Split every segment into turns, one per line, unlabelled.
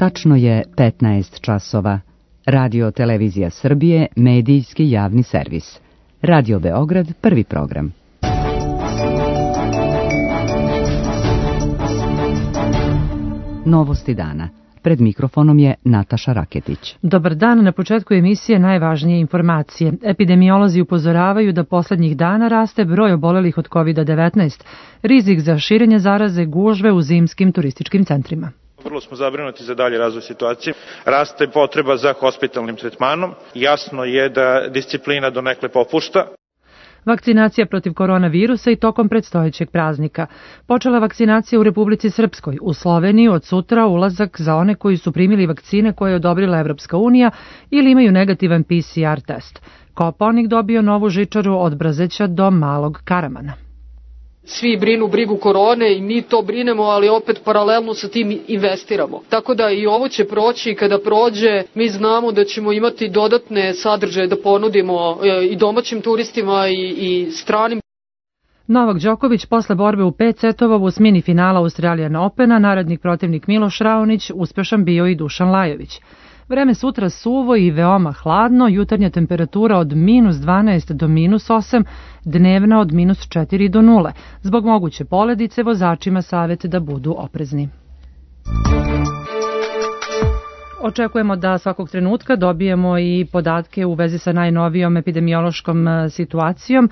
Tačno je 15 časova. Radio Televizija Srbije, medijski javni servis. Radio Beograd, prvi program. Novosti dana. Pred mikrofonom je Nataša Raketić.
Dobar dan, na početku emisije najvažnije informacije. Epidemiolozi upozoravaju da poslednjih dana raste broj obolelih od COVID-19. Rizik za širenje zaraze, gužve u zimskim turističkim centrima.
Vrlo smo zabrinuti za dalje razvoj situacije. Raste potreba za hospitalnim tretmanom. Jasno je da disciplina donekle popušta.
Vakcinacija protiv koronavirusa i tokom predstojećeg praznika. Počela vakcinacija u Republici Srpskoj. U Sloveniji od sutra ulazak za one koji su primili vakcine koje je odobrila Evropska unija ili imaju negativan PCR test. Kopaonik dobio novu žičaru od Brazeća do Malog Karamana.
Svi brinu brigu korone i mi to brinemo, ali opet paralelno sa tim investiramo. Tako da i ovo će proći i kada prođe mi znamo da ćemo imati dodatne sadržaje da ponudimo i domaćim turistima i stranim.
Novak Đoković posle borbe u 5 setova u osmini finala Australian Opena, narednik protivnik Miloš Raonić, uspešan bio i Dušan Lajović. Vreme sutra suvo i veoma hladno, jutarnja temperatura od -12 do -8, dnevna od -4 do 0. Zbog moguće poledice vozačima savjet da budu oprezni. Očekujemo da svakog trenutka dobijemo i podatke u vezi sa najnovijom epidemiološkom situacijom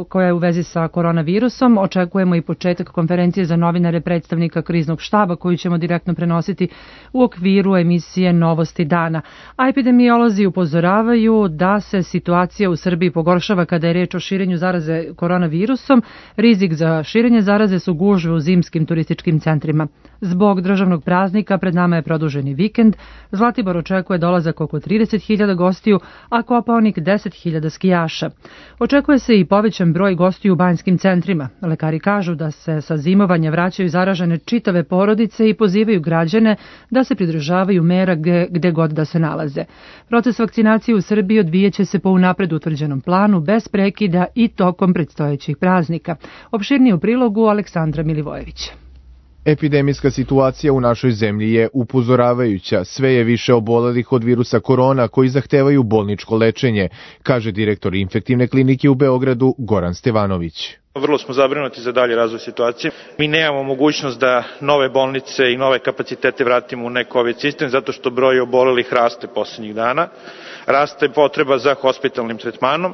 koja je u vezi sa koronavirusom. Očekujemo i početak konferencije za novinare predstavnika kriznog štaba koju ćemo direktno prenositi u okviru emisije Novosti dana. A epidemiolozi upozoravaju da se situacija u Srbiji pogoršava kada je reč o širenju zaraze koronavirusom. Rizik za širenje zaraze su gužve u zimskim turističkim centrima. Zbog državnog praznika pred nama je produženi vikend. Zlatibor očekuje dolazak oko 30.000 gostiju, a Kopaonik 10.000 skijaša. Očekuje se i povećan broj gostiju u banjskim centrima. Lekari kažu da se sa zimovanja vraćaju zaražene čitave porodice i pozivaju građane da se pridržavaju mera gde god da se nalaze. Proces vakcinacije u Srbiji odvijeće se po unapred utvrđenom planu, bez prekida i tokom predstojećih praznika. Opširnije u prilogu Aleksandra Milivojevića.
Epidemijska situacija u našoj zemlji je upozoravajuća. Sve je više obolelih od virusa korona koji zahtevaju bolničko lečenje, kaže direktor infektivne klinike u Beogradu Goran Stevanović.
Vrlo smo zabrinuti za dalje razvoj situacije. Mi nemamo mogućnost da nove bolnice i nove kapacitete vratimo u ne-COVID sistem zato što broj obolelih raste poslednjih dana. Raste potreba za hospitalnim tretmanom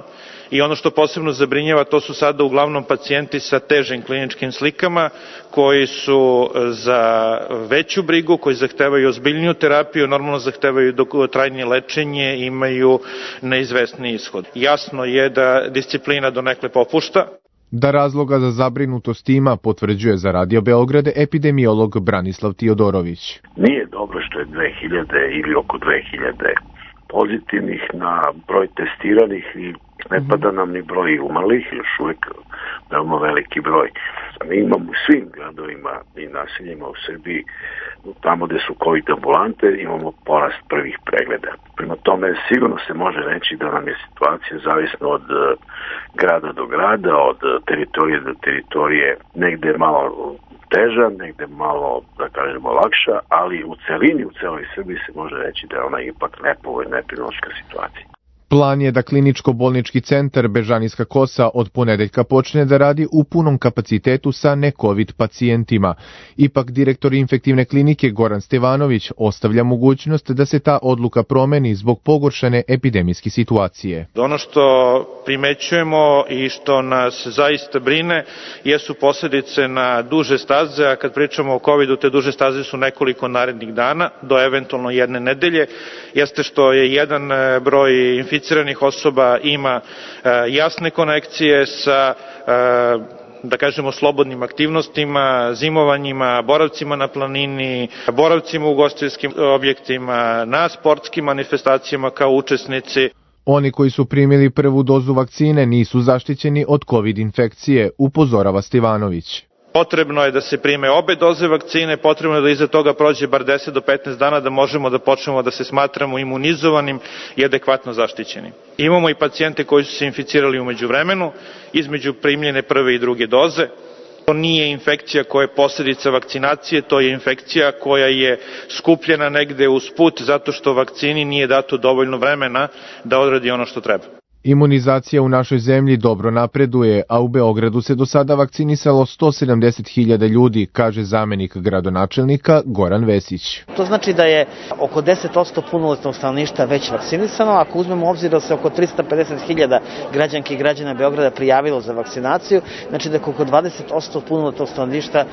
i ono što posebno zabrinjava to su sada uglavnom pacijenti sa težim kliničkim slikama koji su za veću brigu, koji zahtevaju ozbiljniju terapiju, normalno zahtevaju dugotrajnije lečenje, imaju neizvesni ishod. Jasno je da disciplina donekle popušta.
Da razloga za zabrinutost ima, potvrđuje za Radio Beograd epidemiolog Branislav Tiodorović.
Nije dobro što je 2000 ili oko 2000 pozitivnih na broj testiranih i ne pada nam ni broj umrlih, još uvijek veoma veliki broj. Mi imamo u svim gradovima i naseljima u Srbiji, tamo gde su COVID ambulante, imamo porast prvih pregleda. Prema tome, sigurno se može reći da nam je situacija zavisna od grada do grada, od teritorije do teritorije, negde malo teža, negde malo, da kažemo, lakša, ali u celini, u celoj Srbiji se može reći da je ona ipak nepovoljna epidemiološka situacija.
Plan je da kliničko-bolnički centar Bežanijska Kosa od ponedeljka počne da radi u punom kapacitetu sa ne-COVID pacijentima. Ipak direktor infektivne klinike Goran Stevanović ostavlja mogućnost da se ta odluka promeni zbog pogoršane epidemijske situacije.
Ono što primećujemo i što nas zaista brine jesu posledice na duže staze, a kad pričamo o COVID-u, te duže staze su nekoliko narednih dana, do eventualno jedne nedelje, jeste što je jedan broj inficiranih osoba ima jasne konekcije sa, da kažemo, slobodnim aktivnostima, zimovanjima, boravcima na planini, boravcima u ugostiteljskim objektima, na sportskim manifestacijama kao učesnici.
Oni koji su primili prvu dozu vakcine nisu zaštićeni od COVID infekcije, upozorava Stevanović.
Potrebno je da se prime obe doze vakcine, potrebno je da iza toga prođe bar 10 do 15 dana da možemo da počnemo da se smatramo imunizovanim i adekvatno zaštićenim. Imamo i pacijente koji su se inficirali umeđu vremenu, između primljene prve i druge doze. To nije infekcija koja je posljedica vakcinacije, to je infekcija koja je skupljena negde usput zato što vakcini nije dato dovoljno vremena da odradi ono što treba.
Imunizacija u našoj zemlji dobro napreduje, a u Beogradu se do sada vakcinisalo 170.000 ljudi, kaže zamenik gradonačelnika Goran Vesić.
To znači da je oko 10% punoletnog stanovništva već vakcinisano, ako uzmemo u obzir da se oko 350.000 građanki i građana Beograda prijavilo za vakcinaciju, znači da oko 20% punoletnog stanovništva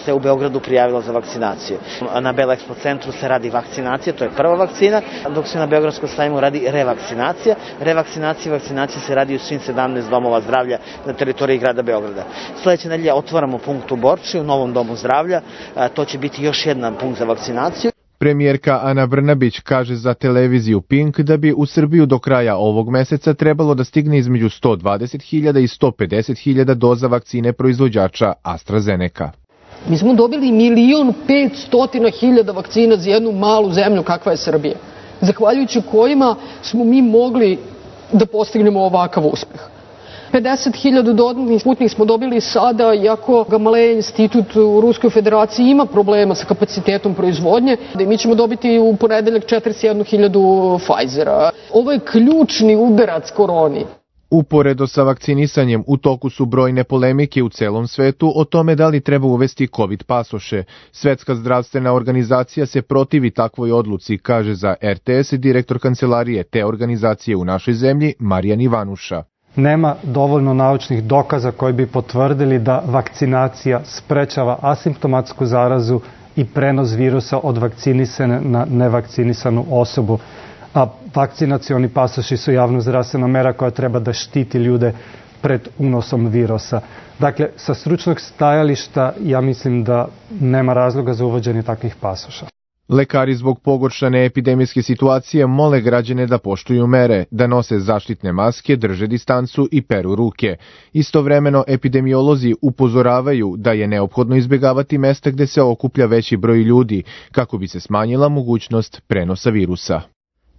se u Beogradu prijavilo za vakcinaciju. Na Bela Expo centru se radi vakcinacija, to je prva vakcina, dok se na Beogradskom sajmu radi revakcinacija. Vakcinacija se radi u svim 17 domova zdravlja na teritoriji grada Beograda. Sledeće nedelje otvaramo punkt u Borči, u novom domu zdravlja. To će biti još jedan punkt za vakcinaciju.
Premijerka Ana Brnabić kaže za televiziju Pink da bi u Srbiju do kraja ovog meseca trebalo da stigne između 120.000 i 150.000 doza vakcine proizvođača AstraZeneca.
Mi smo dobili 1.500.000 vakcina za jednu malu zemlju kakva je Srbija, zahvaljujući kojima smo mi mogli da postignemo ovakav uspeh. 50.000 dodatnih Sputnik smo dobili sada, iako Gamaleja institut u Ruskoj federaciji ima problema sa kapacitetom proizvodnje, da mi ćemo dobiti u ponedeljak 41.000 Pfizera. Ovo je ključni udarac koroni.
Uporedo sa vakcinisanjem u toku su brojne polemike u celom svetu o tome da li treba uvesti COVID pasoše. Svetska zdravstvena organizacija se protivi takvoj odluci, kaže za RTS direktor kancelarije te organizacije u našoj zemlji Marijan Ivanuša.
Nema dovoljno naučnih dokaza koji bi potvrdili da vakcinacija sprečava asimptomatsku zarazu i prenos virusa od vakcinisane na nevakcinisanu osobu. A vakcinacioni pasoši su javnozdravstvena mera koja treba da štiti ljude pred unosom virusa. Dakle, sa stručnog stajališta ja mislim da nema razloga za uvođenje takvih pasoša.
Lekari zbog pogoršane epidemijske situacije mole građane da poštuju mere, da nose zaštitne maske, drže distancu i peru ruke. Istovremeno, epidemiolozi upozoravaju da je neophodno izbjegavati mesta gde se okuplja veći broj ljudi, kako bi se smanjila mogućnost prenosa virusa.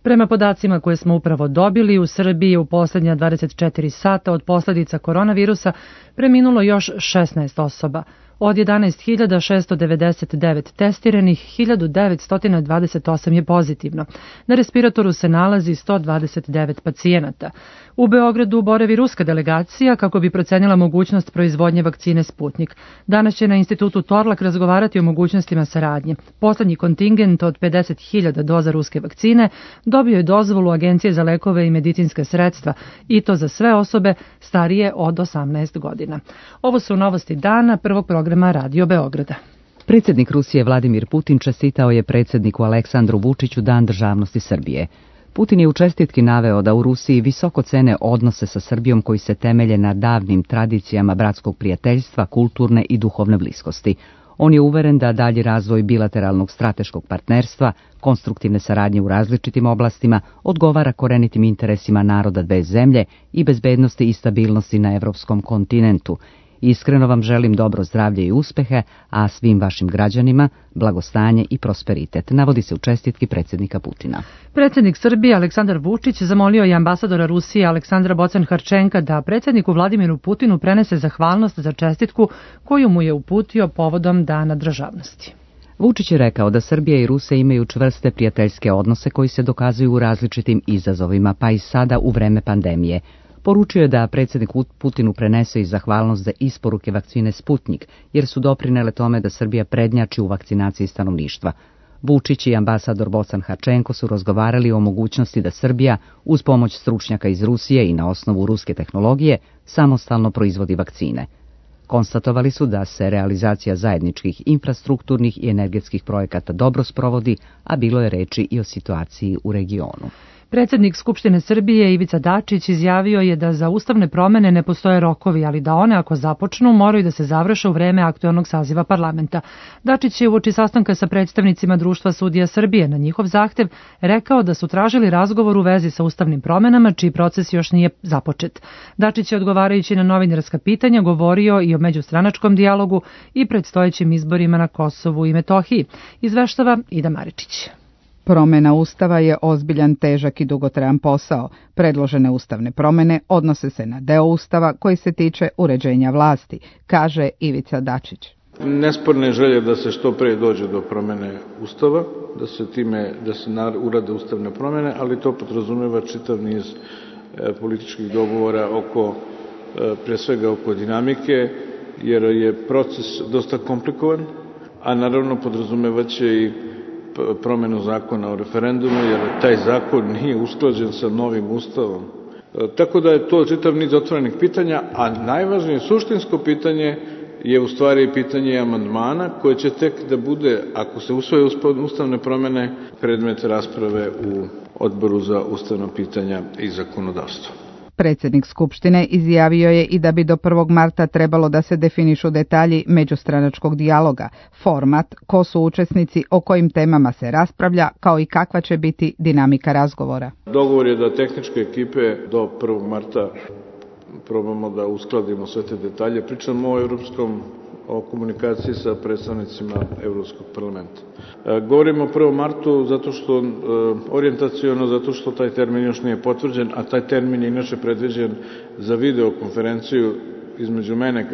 Prema podacima koje smo upravo dobili, u Srbiji je u poslednja 24 sata od posljedica koronavirusa preminulo još 16 osoba. Od 11.699 testiranih, 1.928 je pozitivno. Na respiratoru se nalazi 129 pacijenata. U Beogradu boravi ruska delegacija kako bi procenila mogućnost proizvodnje vakcine Sputnik. Danas će na institutu Torlak razgovarati o mogućnostima saradnje. Poslednji kontingent od 50.000 doza ruske vakcine dobio je dozvolu Agencije za lekove i medicinske sredstva i to za sve osobe starije od 18 godina. Ovo su novosti dana prvog programa Radio Beograda.
Predsjednik Rusije Vladimir Putin čestitao je predsjedniku Aleksandru Vučiću Dan državnosti Srbije. Putin je u čestitki naveo da u Rusiji visoko cene odnose sa Srbijom koji se temelje na davnim tradicijama bratskog prijateljstva, kulturne i duhovne bliskosti. On je uveren da dalji razvoj bilateralnog strateškog partnerstva, konstruktivne saradnje u različitim oblastima, odgovara korenitim interesima naroda dve zemlje i bezbednosti i stabilnosti na evropskom kontinentu. Iskreno vam želim dobro zdravlje i uspehe, a svim vašim građanima blagostanje i prosperitet, navodi se u čestitki predsjednika Putina.
Predsjednik Srbije Aleksandar Vučić zamolio je ambasadora Rusije Aleksandra Bocan-Harčenka da predsjedniku Vladimiru Putinu prenese zahvalnost za čestitku koju mu je uputio povodom Dana državnosti.
Vučić je rekao da Srbija i Rusija imaju čvrste prijateljske odnose koji se dokazuju u različitim izazovima, pa i sada u vreme pandemije. Poručio je da predsjednik Putinu prenese i zahvalnost za isporuke vakcine Sputnik, jer su doprinele tome da Srbija prednjači u vakcinaciji stanovništva. Vučić i ambasador Bocan-Harčenko su razgovarali o mogućnosti da Srbija, uz pomoć stručnjaka iz Rusije i na osnovu ruske tehnologije, samostalno proizvodi vakcine. Konstatovali su da se realizacija zajedničkih infrastrukturnih i energetskih projekata dobro sprovodi, a bilo je reči i o situaciji u regionu.
Predsjednik Skupštine Srbije Ivica Dačić izjavio je da za ustavne promene ne postoje rokovi, ali da one ako započnu moraju da se završe u vreme aktuelnog saziva parlamenta. Dačić je uoči sastanka sa predstavnicima Društva sudija Srbije na njihov zahtev rekao da su tražili razgovor u vezi sa ustavnim promenama, čiji proces još nije započet. Dačić je odgovarajući na novinarska pitanja govorio i o međustranačkom dijalogu i predstojećim izborima na Kosovu i Metohiji. Izveštava Ida Maričić.
Promena Ustava je ozbiljan, težak i dugotrajan posao. Predložene ustavne promene odnose se na deo Ustava koji se tiče uređenja vlasti, kaže Ivica Dačić.
Nesporne želje da se što pre dođe do promene Ustava, da se urade ustavne promene, ali to podrazumeva čitav niz političkih dogovora pre svega oko dinamike, jer je proces dosta komplikovan, a naravno podrazumevaće i promenu zakona o referendumu, jer taj zakon nije usklađen sa novim ustavom. Tako da je to čitav niz otvorenih pitanja, a najvažnije suštinsko pitanje je u stvari pitanje amandmana, koje će tek da bude, ako se usvoje ustavne promene, predmet rasprave u Odboru za ustavna pitanja i zakonodavstvo.
Predsjednik Skupštine izjavio je i da bi do 1. marta trebalo da se definišu detalji međustranačkog dijaloga, format, ko su učesnici, o kojim temama se raspravlja, kao i kakva će biti dinamika razgovora.
Dogovor je da tehničke ekipe do 1. marta probamo da uskladimo sve te detalje. Pričamo o komunikaciji sa predstavnicima Evropskog parlamenta. Govorimo o 1. martu zato što orijentaciono, zato što taj termin još nije potvrđen, a taj termin je inače predviđen za videokonferenciju između mene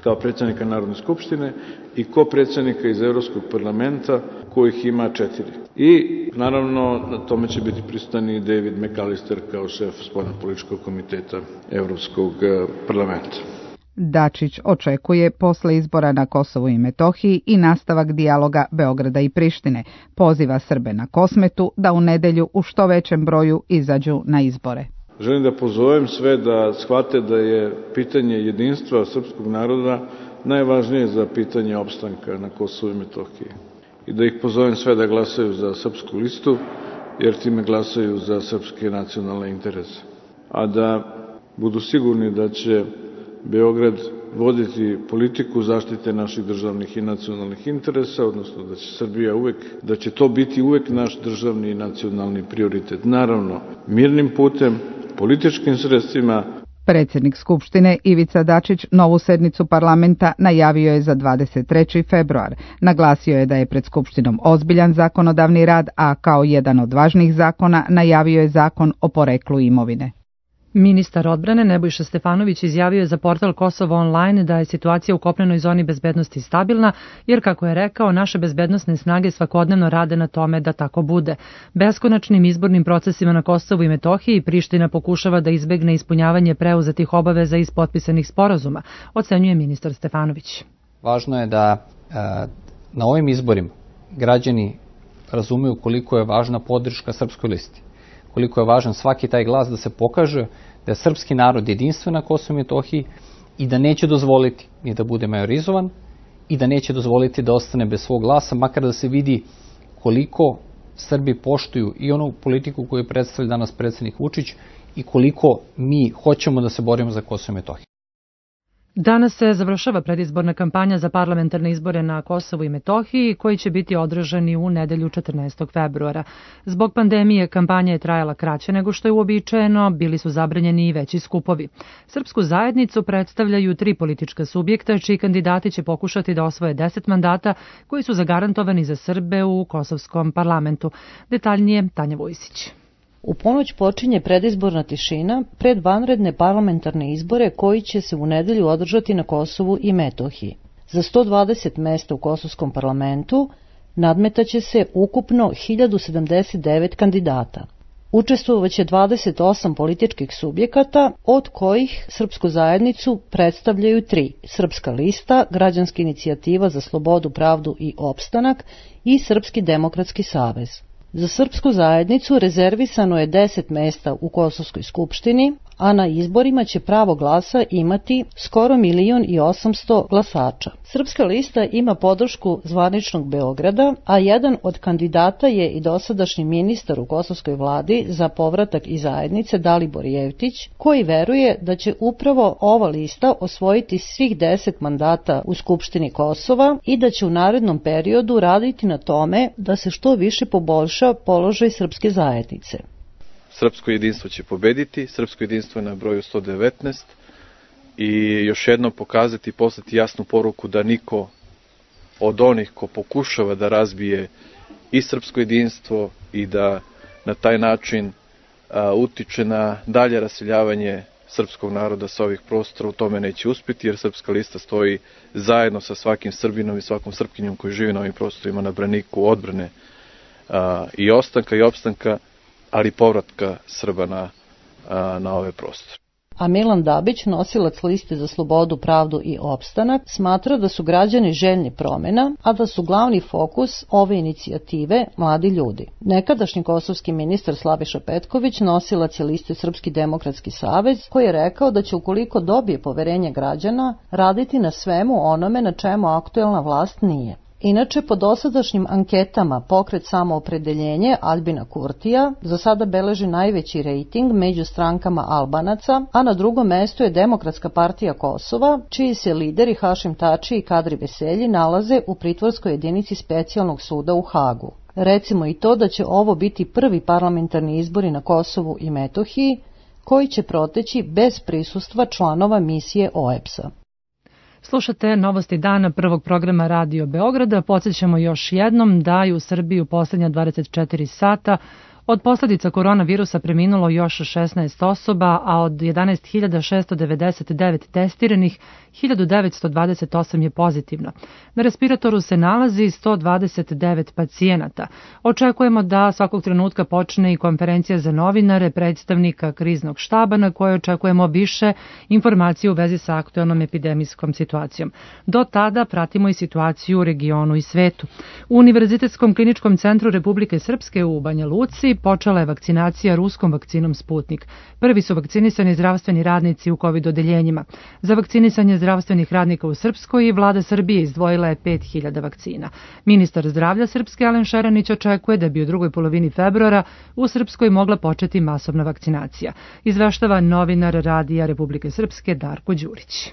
kao predsjednika Narodne skupštine i predsednika iz Evropskog parlamenta, kojih ima 4. I naravno na tome će biti prisutan i David McAllister kao šef spoljnopolitičkog komiteta Evropskog parlamenta.
Dačić očekuje posle izbora na Kosovu i Metohiji i nastavak dijaloga Beograda i Prištine. Poziva Srbe na Kosmetu da u nedelju u što većem broju izađu na izbore.
Želim da pozovem sve da shvate da je pitanje jedinstva srpskog naroda najvažnije za pitanje opstanka na Kosovu i Metohiji. I da ih pozovem sve da glasaju za srpsku listu, jer time glasaju za srpske nacionalne interese. A da budu sigurni da će Beograd voditi politiku zaštite naših državnih i nacionalnih interesa, odnosno da će to biti uvek naš državni i nacionalni prioritet. Naravno, mirnim putem, političkim sredstvima.
Predsjednik Skupštine Ivica Dačić novu sednicu parlamenta najavio je za 23. februar. Naglasio je da je pred Skupštinom ozbiljan zakonodavni rad, a kao jedan od važnijih zakona najavio je zakon o poreklu imovine.
Ministar odbrane Nebojša Stefanović izjavio je za portal Kosovo Online da je situacija u kopnenoj zoni bezbednosti stabilna, jer, kako je rekao, naše bezbednosne snage svakodnevno rade na tome da tako bude. Beskonačnim izbornim procesima na Kosovu i Metohiji Priština pokušava da izbegne ispunjavanje preuzetih obaveza iz potpisanih sporazuma, ocenjuje ministar Stefanović.
Važno je da na ovim izborima građani razumeju koliko je važna podrška srpskoj listi, koliko je važan svaki taj glas da se pokaže da je srpski narod jedinstven na Kosovu i Metohiji i da neće dozvoliti ni da bude majorizovan i da neće dozvoliti da ostane bez svog glasa, makar da se vidi koliko Srbi poštuju i onu politiku koju predstavlja danas predsjednik Vučić i koliko mi hoćemo da se borimo za Kosovo i Metohiju.
Danas se završava predizborna kampanja za parlamentarne izbore na Kosovu i Metohiji, koji će biti održani u nedelju 14. februara. Zbog pandemije kampanja je trajala kraće nego što je uobičajeno, bili su zabranjeni i veći skupovi. Srpsku zajednicu predstavljaju 3 politička subjekta, čiji kandidati će pokušati da osvoje 10 mandata koji su zagarantovani za Srbe u kosovskom parlamentu. Detaljnije Tanja Vojsić.
U ponoć počinje predizborna tišina pred vanredne parlamentarne izbore koji će se u nedelju održati na Kosovu i Metohiji. Za 120 mesta u kosovskom parlamentu nadmetaće se ukupno 1079 kandidata. Učestvovaće 28 političkih subjekata, od kojih Srpsku zajednicu predstavljaju 3: Srpska lista, Građanska inicijativa za slobodu, pravdu i opstanak i Srpski demokratski savez. Za Srpsku zajednicu rezervisano je 10 mesta u Kosovskoj skupštini, a na izborima će pravo glasa imati skoro 1.800.000 glasača. Srpska lista ima podršku zvaničnog Beograda, a jedan od kandidata je i dosadašnji ministar u kosovskoj vladi za povratak i zajednice Dalibor Jevtić, koji veruje da će upravo ova lista osvojiti svih 10 mandata u Skupštini Kosova i da će u narednom periodu raditi na tome da se što više poboljša položaj srpske zajednice.
Srpsko jedinstvo će pobediti, srpsko jedinstvo je na broju 119 i još jednom pokazati i poslati jasnu poruku da niko od onih ko pokušava da razbije i srpsko jedinstvo i da na taj način utiče na dalje raseljavanje srpskog naroda sa ovih prostora. U tome neće uspjeti jer Srpska lista stoji zajedno sa svakim Srbinom i svakom Srpkinjom koji živi na ovim prostorima na braniku odbrane i ostanka i opstanka, ali i povratka Srba na ove prostore.
A Milan Dabić, nosilac liste za slobodu, pravdu i opstanak, smatra da su građani željni promjena, a da su glavni fokus ove inicijative mladi ljudi. Nekadašnji kosovski ministar Slaviša Petković nosilac je liste Srpski demokratski savez, koji je rekao da će, ukoliko dobije poverenje građana, raditi na svemu onome na čemu aktuelna vlast nije. Inače, po dosadašnjim anketama Pokret Samoopredeljenje Albina Kurtija za sada beleži najveći rejting među strankama Albanaca, a na drugom mestu je Demokratska partija Kosova, čiji se lideri Hašim Tači i Kadri Veselji nalaze u pritvorskoj jedinici specijalnog suda u Hagu. Recimo i to da će ovo biti prvi parlamentarni izbori na Kosovu i Metohiji, koji će proteći bez prisustva članova misije OEBS-a.
Slušate novosti dana prvog programa Radio Beograda. Podsjećamo još jednom da je u Srbiji u posljednja 24 sata od posljedica koronavirusa preminulo još 16 osoba, a od 11.699 testiranih, 1928 je pozitivno. Na respiratoru se nalazi 129 pacijenata. Očekujemo da svakog trenutka počne i konferencija za novinare predstavnika kriznog štaba na kojoj očekujemo više informacije u vezi sa aktuelnom epidemijskom situacijom. Do tada pratimo i situaciju u regionu i svetu. U Univerzitetskom kliničkom centru Republike Srpske u Banja Luci počela je vakcinacija ruskom vakcinom Sputnik. Prvi su vakcinisani zdravstveni radnici u COVID odeljenjima. Za vakcinisanje zdravstvenih radnika u Srpskoj vlada Srbije izdvojila je 5000 vakcina. Ministar zdravlja Srpske Alen Šeranić očekuje da bi u drugoj polovini februara u Srpskoj mogla početi masovna vakcinacija. Izveštava novinar Radija Republike Srpske Darko Đurić.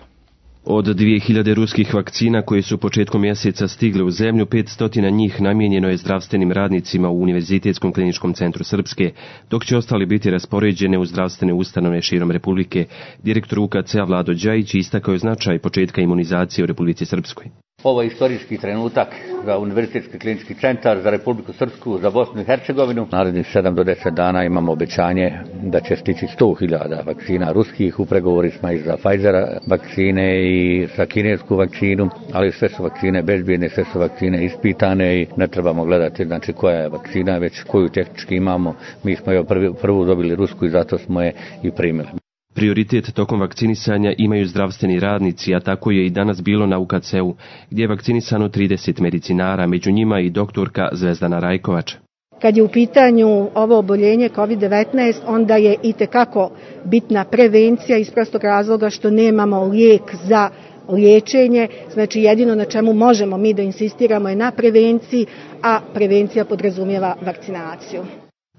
Od 2000 ruskih vakcina koje su početkom mjeseca stigle u zemlju, 500 njih namijenjeno je zdravstvenim radnicima u Univerzitetskom kliničkom centru Srpske, dok će ostali biti raspoređene u zdravstvene ustanove širom Republike. Direktor UKC-a Vlado Đajić istakao je značaj početka imunizacije u Republici Srpskoj.
Ovo je istorijski trenutak za Univerzitetski klinički centar, za Republiku Srpsku, za Bosnu i Hercegovinu. Narednih 7 do 10 dana imamo obećanje da će stići 100.000 vakcina ruskih. U pregovori smo i za Pfizera vakcine i za kinesku vakcinu, ali sve su vakcine bezbjedne, sve su vakcine ispitane i ne trebamo gledati znači koja je vakcina, već koju tehnički imamo. Mi smo je prvu dobili rusku i zato smo je i primili.
Prioritet tokom vakcinisanja imaju zdravstveni radnici, a tako je i danas bilo na UKC-u, gdje je vakcinisano 30 medicinara, među njima i doktorka Zvezdana Rajkovač.
Kad je u pitanju ovo oboljenje COVID-19, onda je itekako bitna prevencija iz prostog razloga što nemamo lijek za liječenje, znači jedino na čemu možemo mi da insistiramo je na prevenciji, a prevencija podrazumijeva vakcinaciju.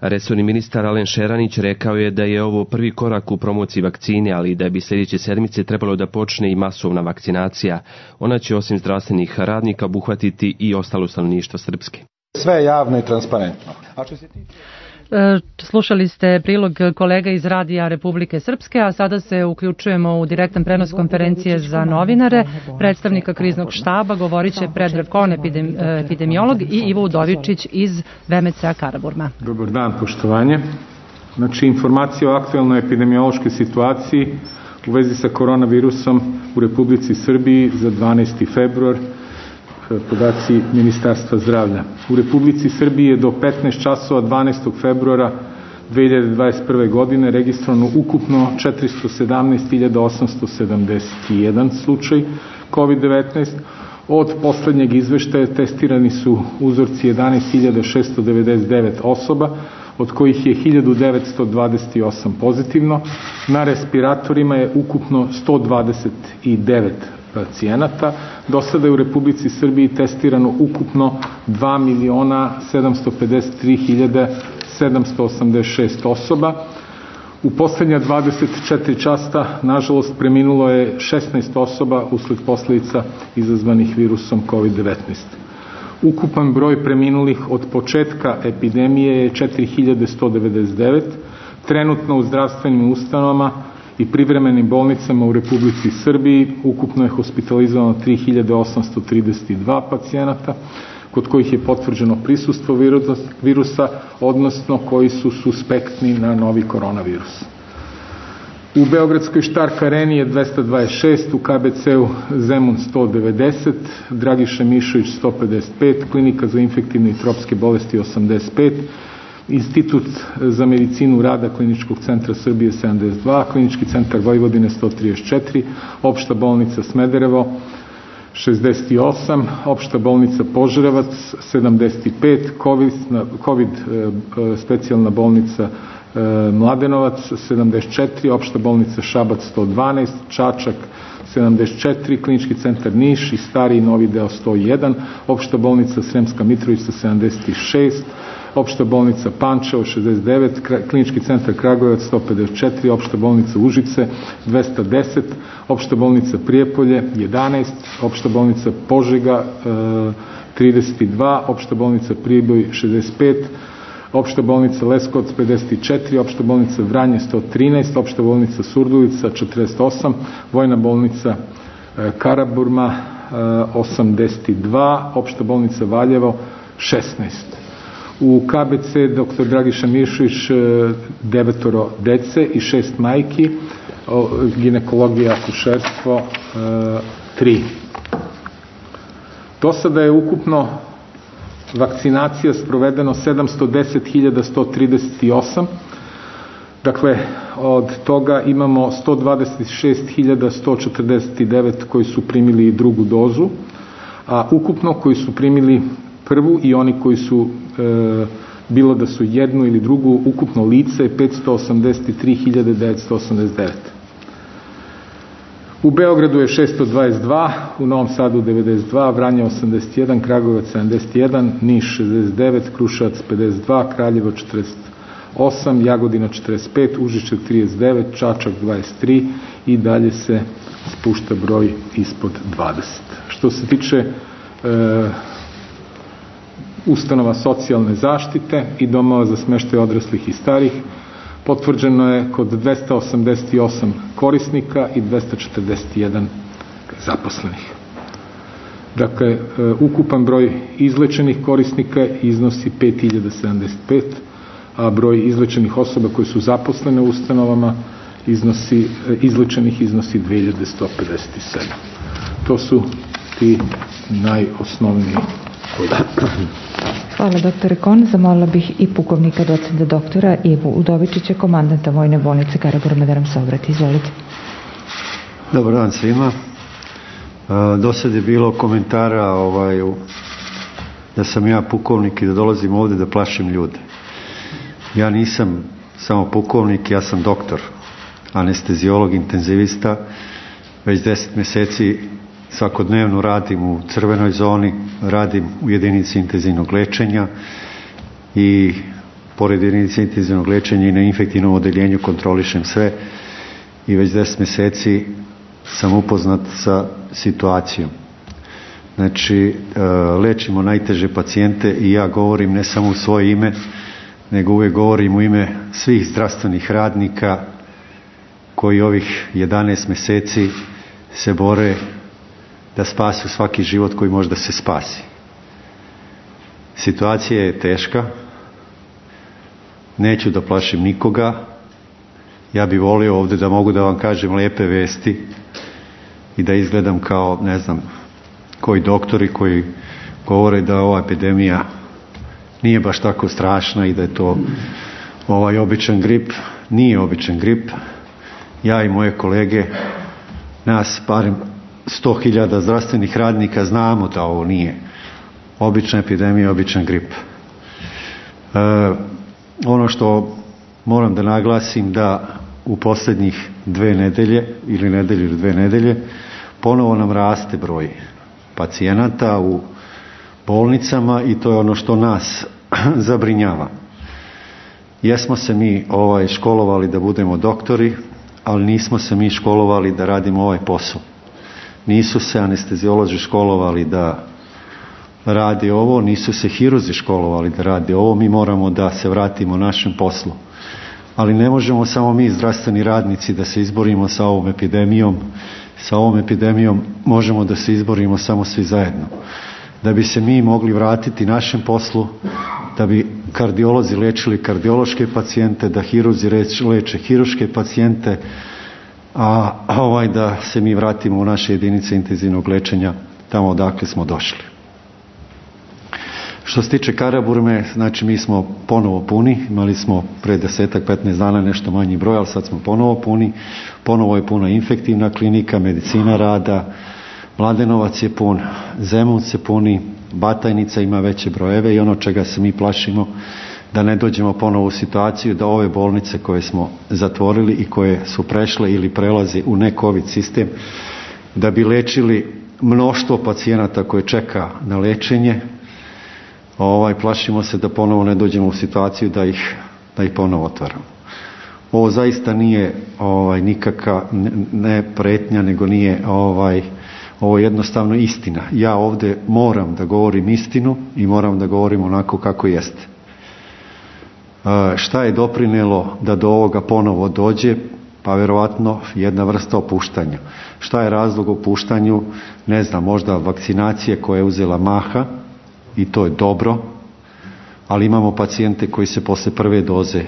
Resorni ministar Alen Šeranić rekao je da je ovo prvi korak u promociji vakcine, ali da bi sljedeće sedmice trebalo da počne i masovna vakcinacija. Ona će osim zdravstvenih radnika obuhvatiti i ostalo stanovništvo Srpske.
Sve je javno i transparentno.
Slušali ste prilog kolega iz Radija Republike Srpske, a sada se uključujemo u direktan prenos konferencije za novinare. Predstavnika kriznog štaba govorit će Predrag Kon, epidemiolog, i Ivo Udovičić iz VMC-a Karaburma.
Dobar dan, poštovanje. Znači, informacija o aktuelnoj epidemiološkoj situaciji u vezi sa koronavirusom u Republici Srbiji za 12. februar, podaci Ministarstva zdravlja. U Republici Srbiji je do 15 časova 12. februara 2021. godine registrovano ukupno 417.871 slučaj COVID-19. Od poslednjeg izveštaja testirani su uzorci 11.699 osoba, od kojih je 1928 pozitivno. Na respiratorima je ukupno 129 pacijenata. Do sada je u Republici Srbiji testirano ukupno 2.753.786 osoba. U poslednja 24 časa, nažalost, preminulo je 16 osoba usled posljedica izazvanih virusom COVID-19. Ukupan broj preminulih od početka epidemije je 4.199. Trenutno u zdravstvenim ustanovama i privremenim bolnicama u Republici Srbiji ukupno je hospitalizovano 3.832 pacijenata. kod kojih je potvrđeno prisustvo virusa, odnosno koji su suspektni na novi koronavirus. U Beogradskoj Štark areni je 226, u KBC-u Zemun 190, Dragiša Mišović 155, Klinika za infektivne i tropske bolesti 85, Institut za medicinu rada Kliničkog centra Srbije 72, Klinički centar Vojvodine 134, Opšta bolnica Smederevo 68, Opšta bolnica Požarevac 75, COVID specijalna bolnica Mladenovac 74, Opšta bolnica Šabac 112, Čačak 74, Klinički centar Niš i Stari Novi deo 101, Opšta bolnica Sremska Mitrovica 76, Opšta bolnica Pančevo 69, Klinički centar Kragujevac 154, Opšta bolnica Užice 210, Opšta bolnica Prijepolje 11, Opšta bolnica Požega 32, Opšta bolnica Priboj 65, Opšta bolnica Leskovac 54, Opšta bolnica Vranje 113, Opšta bolnica Surdulica 48, Vojna bolnica Karaburma 82, Opšta bolnica Valjevo 16. U KBC dr. Dragiša Mišović 9 dece i 6 majki, ginekologija, akušerstvo 3. Do sada je ukupno vakcinacija sprovedeno 710.138, dakle od toga imamo 126.149 koji su primili drugu dozu, a ukupno koji su primili prvu i oni koji su bilo da su jednu ili drugu, ukupno lice je 583.989. U Beogradu je 622, u Novom Sadu 92, Vranje 81, Kragujevac 71, Niš 69, Kruševac 52, Kraljevo 48, Jagodina 45, Užice 39, Čačak 23 i dalje se spušta broj ispod 20. Što se tiče ustanova socijalne zaštite i domova za smeštaj odraslih i starih, potvrđeno je kod 288 korisnika i 241 zaposlenih. Dakle, ukupan broj izlečenih korisnika iznosi 5075, a broj izlečenih osoba koji su zaposlene u ustanovama izlečenih iznosi 2157. To su ti najosnovniji podaci.
Hvala doktore Kon. Zamolila bih i pukovnika docenta doktora Ivu Udovičića, komandanta Vojne bolnice Karaburma, da nam se obrati. Izvolite.
Dobar dan svima. Do sad je bilo komentara da sam ja pukovnik i da dolazim ovde da plašim ljude. Ja nisam samo pukovnik, ja sam doktor, anesteziolog, intenzivista. Već 10 meseci svakodnevno radim u crvenoj zoni, radim u jedinici intenzivnog lečenja i pored jedinice intenzivnog lečenja i na infektivnom odeljenju kontrolišem sve i već 10 meseci sam upoznat sa situacijom. Znači, lečimo najteže pacijente i ja govorim ne samo u svoje ime, nego uvijek govorim u ime svih zdravstvenih radnika koji ovih 11 meseci se bore da spasu svaki život koji može da se spasi. Situacija je teška, neću da plašim nikoga, ja bih volio ovde da mogu da vam kažem lepe vesti i da izgledam kao, ne znam, koji doktori koji govore da ova epidemija nije baš tako strašna i da je to običan grip. Nije običan grip. Ja i moje kolege, nas barem 100.000 zdravstvenih radnika znamo da ovo nije obična epidemija, običan grip. Ono što moram da naglasim da u poslednjih 2 nedelje ili nedelju ili 2 nedelje ponovo nam raste broj pacijenata u bolnicama i to je ono što nas zabrinjava. Jesmo se mi školovali da budemo doktori, ali nismo se mi školovali da radimo ovaj posao. Nisu se anesteziolozi školovali da radi ovo, nisu se hirurzi školovali da radi ovo, mi moramo da se vratimo našem poslu. Ali ne možemo samo mi, zdravstveni radnici, da se izborimo sa ovom epidemijom. Sa ovom epidemijom možemo da se izborimo samo svi zajedno. da bi se mi mogli vratiti našem poslu, da bi kardiolozi lečili kardiološke pacijente, da hirurzi leče hirurške pacijente, a da se mi vratimo u naše jedinice intenzivnog lečenja tamo odakle smo došli. Što se tiče Karaburme, znači mi smo ponovo puni, imali smo pre 10-15 dana nešto manji broj, ali sad smo ponovo puni, ponovo je puna infektivna klinika, medicina rada, Mladenovac je pun, Zemun se puni, Batajnica ima veće brojeve i ono čega se mi plašimo da ne dođemo ponovo u situaciju da ove bolnice koje smo zatvorili i koje su prešle ili prelaze u ne-COVID sistem, da bi lečili mnoštvo pacijenata koje čeka na lečenje, plašimo se da ponovo ne dođemo u situaciju da ih ponovo otvaramo. Ovo zaista nije nikakva ne pretnja, nego nije ovo je jednostavno istina. Ja ovdje moram da govorim istinu i moram da govorim onako kako jeste. Šta je doprinelo da do ovoga ponovo dođe? Pa vjerovatno jedna vrsta opuštanja. Šta je razlog opuštanju? Ne znam, možda vakcinacije koja je uzela maha i to je dobro, ali imamo pacijente koji se posle prve doze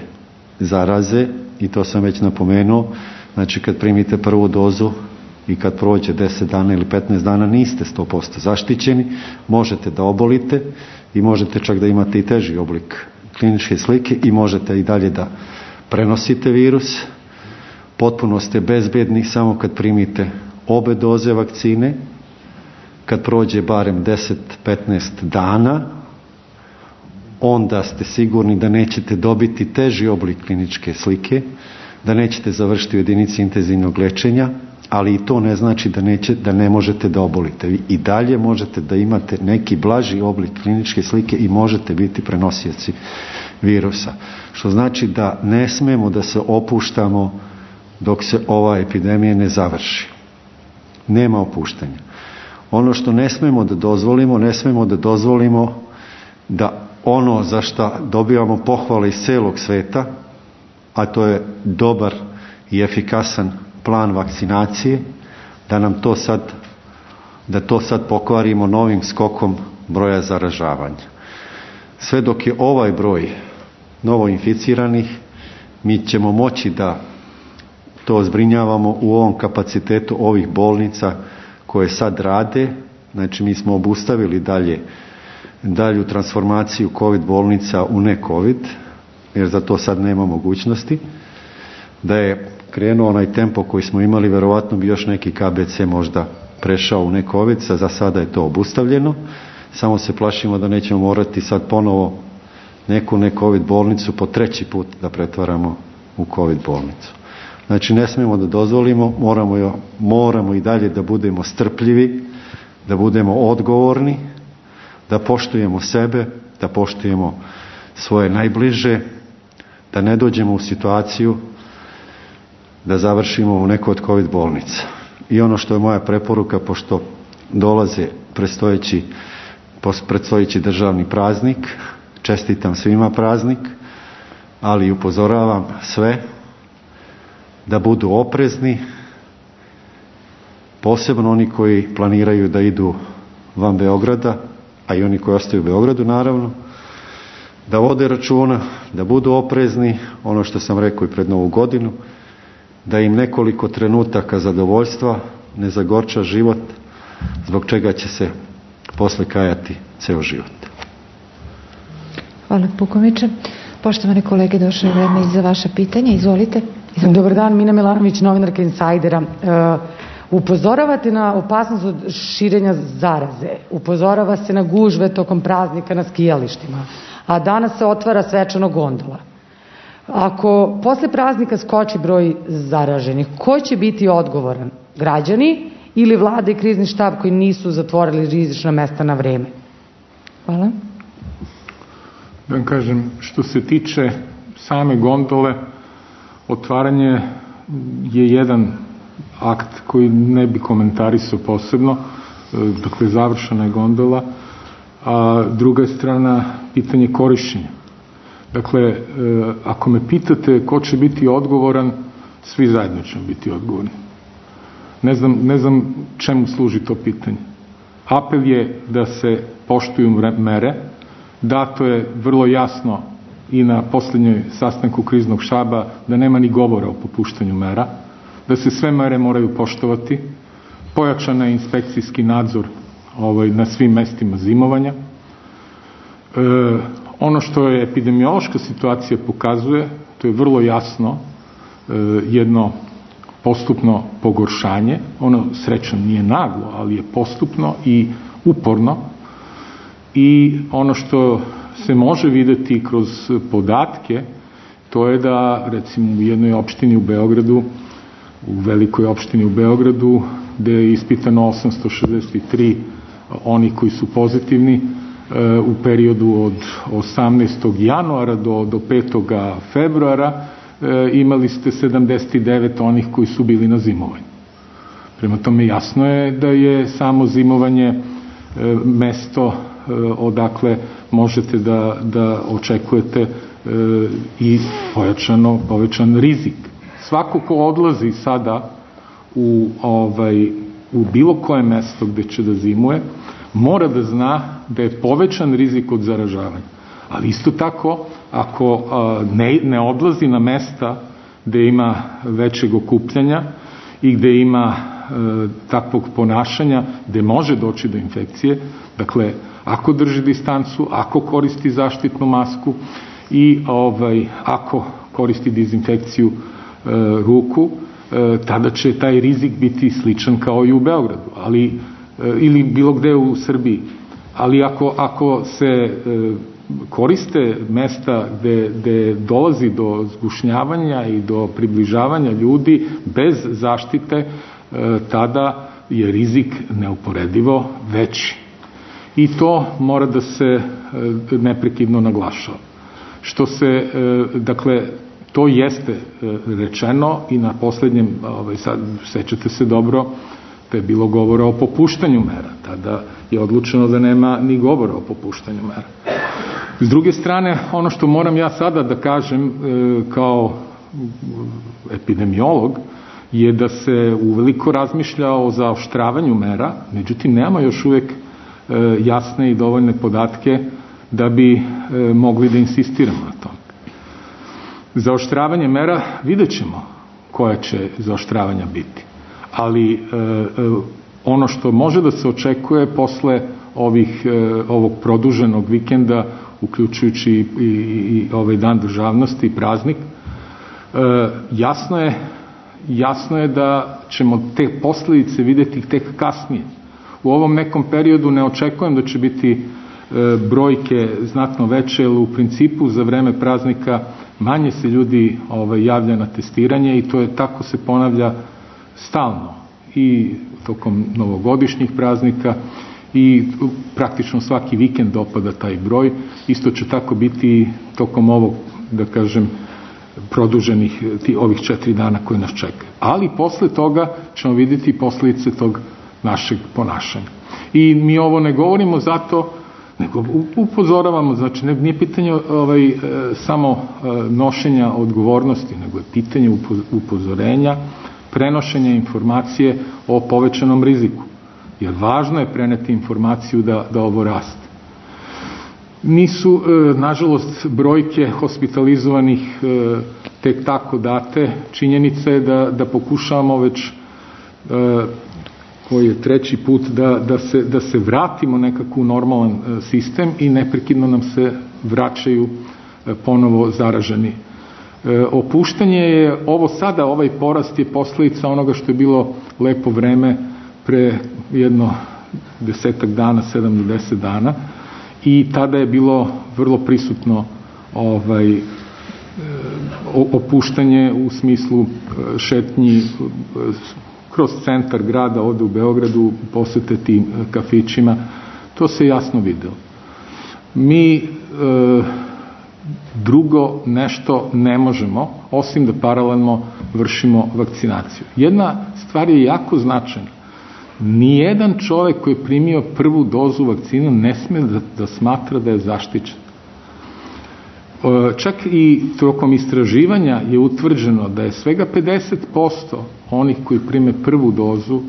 zaraze i to sam već napomenuo. Znači kad primite prvu dozu i kad prođe 10 dana ili 15 dana niste 100% zaštićeni, možete da obolite i možete čak da imate i teži oblik kliničke slike i možete i dalje da prenosite virus. Potpuno ste bezbedni samo kad primite obe doze vakcine, kad prođe barem 10-15 dana, onda ste sigurni da nećete dobiti teži oblik kliničke slike, da nećete završiti u jedinici intenzivnog lečenja, ali i to ne znači da ne možete da obolite. Vi i dalje možete da imate neki blaži oblik kliničke slike i možete biti prenosioci virusa. Što znači da ne smemo da se opuštamo dok se ova epidemija ne završi. Nema opuštanja. Ono što ne smemo da dozvolimo da ono za što dobivamo pohvale iz celog sveta, a to je dobar i efikasan plan vakcinacije, da to sad pokvarimo novim skokom broja zaražavanja. Sve dok je ovaj broj novoinficiranih, mi ćemo moći da to zbrinjavamo u ovom kapacitetu ovih bolnica koje sad rade. Znači mi smo obustavili dalju transformaciju COVID bolnica u ne COVID, jer za to sad nema mogućnosti. Da je krenuo onaj tempo koji smo imali, verovatno bi još neki KBC možda prešao u ne COVID, za sada je to obustavljeno. Samo se plašimo da nećemo morati sad ponovo neku ne COVID bolnicu po treći put da pretvaramo u COVID bolnicu. Znači ne smijemo da dozvolimo, moramo i dalje da budemo strpljivi, da budemo odgovorni, da poštujemo sebe, da poštujemo svoje najbliže, da ne dođemo u situaciju da završimo u nekoj od COVID bolnica. I ono što je moja preporuka, pošto dolaze predstojeći državni praznik, čestitam svima praznik, ali upozoravam sve da budu oprezni, posebno oni koji planiraju da idu van Beograda, a i oni koji ostaju u Beogradu naravno, da vode računa, da budu oprezni, ono što sam rekao i pred Novu godinu, da im nekoliko trenutaka zadovoljstva ne zagorča život, zbog čega će se posle kajati ceo život.
Hvala pukovniče. Poštovane kolege, došlo je vreme i za vaše pitanje. Izvolite.
Dobar dan, Mina Milanović, novinarka Insajdera. Upozoravate na opasnost od širenja zaraze. Upozorava se na gužve tokom praznika na skijalištima. A danas se otvara svečano gondola. Ako posle praznika skoči broj zaraženih, ko će biti odgovoran? Građani ili vlada i krizni štab koji nisu zatvorili rizična mesta na vreme?
Hvala.
Da vam kažem, što se tiče same gondole, otvaranje je jedan akt koji ne bi komentarisao posebno, dakle završena je gondola, a druga je strana pitanje korišćenja. Dakle, ako me pitate ko će biti odgovoran, svi zajedno ćemo biti odgovorni. Ne znam čemu služi to pitanje. Apel je da se poštuju mere. Dato je vrlo jasno i na posljednjoj sastanku kriznog štaba da nema ni govora o popuštanju mera, da se sve mere moraju poštovati, pojačan je inspekcijski nadzor na svim mestima zimovanja. Ono što je epidemiološka situacija pokazuje, to je vrlo jasno jedno postupno pogoršanje, ono srećom nije naglo, ali je postupno i uporno, i ono što se može videti kroz podatke, to je da recimo u jednoj opštini u Beogradu, u velikoj opštini u Beogradu, gde je ispitano 863 oni koji su pozitivni u periodu od 18. januara do 5. februara, imali ste 79 onih koji su bili na zimovanju. Prema tome jasno je da je samo zimovanje mesto odakle možete da očekujete i povećan rizik. Svako ko odlazi sada u bilo koje mesto gde će da zimuje, mora da zna da je povećan rizik od zaražavanja. Ali isto tako, ako ne odlazi na mesta gde ima većeg okupljanja i gde ima takvog ponašanja, gde može doći do infekcije, dakle, ako drži distancu, ako koristi zaštitnu masku i ako koristi dezinfekciju ruku, tada će taj rizik biti sličan kao i u Beogradu, ili bilo gde u Srbiji. Ali ako se koriste mesta gde dolazi do zgušnjavanja i do približavanja ljudi bez zaštite, tada je rizik neuporedivo veći. I to mora da se neprekidno naglašava. Dakle, to jeste rečeno i na poslednjem, sad sećate se dobro, da je bilo govora o popuštanju mera. Tada je odlučeno da nema ni govora o popuštanju mera. S druge strane, ono što moram ja sada da kažem kao epidemiolog je da se uveliko razmišlja o zaoštravanju mera, međutim nema još uvek jasne i dovoljne podatke da bi mogli da insistiramo na tom. Zaoštravanje mera, vidjet ćemo koja će zaoštravanja biti. Ali ono što može da se očekuje posle ovog produženog vikenda, uključujući i ovaj dan državnosti i praznik, jasno je da ćemo te posljedice vidjeti tek kasnije. U ovom nekom periodu ne očekujem da će biti brojke znatno veće, jer u principu za vreme praznika manje se ljudi javlja na testiranje i to je tako se ponavlja stalno i tokom novogodišnjih praznika i praktično svaki vikend dopada taj broj. Isto će tako biti tokom ovog, da kažem, produženih ovih 4 dana koji nas čekaju. Ali posle toga ćemo vidjeti posljedice tog našeg ponašanja. I mi ovo ne govorimo zato, nego upozoravamo, znači nije pitanje samo nošenja odgovornosti, nego je pitanje upozorenja, prenošenja informacije o povećanom riziku. Jer važno je preneti informaciju da ovo raste. Nisu, nažalost, brojke hospitalizovanih tek tako date. Činjenica je da pokušavamo već koji je 3. put da se vratimo nekako u normalan sistem i neprekidno nam se vraćaju ponovo zaraženi. Opuštanje je, ovo sada, ovaj porast je posljedica onoga što je bilo lepo vreme pre jedno 10 dana, 7 do 10 dana i tada je bilo vrlo prisutno opuštanje u smislu šetnji kroz centar grada, ovde u Beogradu, posete tim kafićima. To se jasno videlo. Mi drugo nešto ne možemo, osim da paralelno vršimo vakcinaciju. Jedna stvar je jako značajna. Nijedan čovek koji je primio prvu dozu vakcine ne sme da smatra da je zaštićen. Čak i tokom istraživanja je utvrđeno da je svega 50% onih koji prime prvu dozu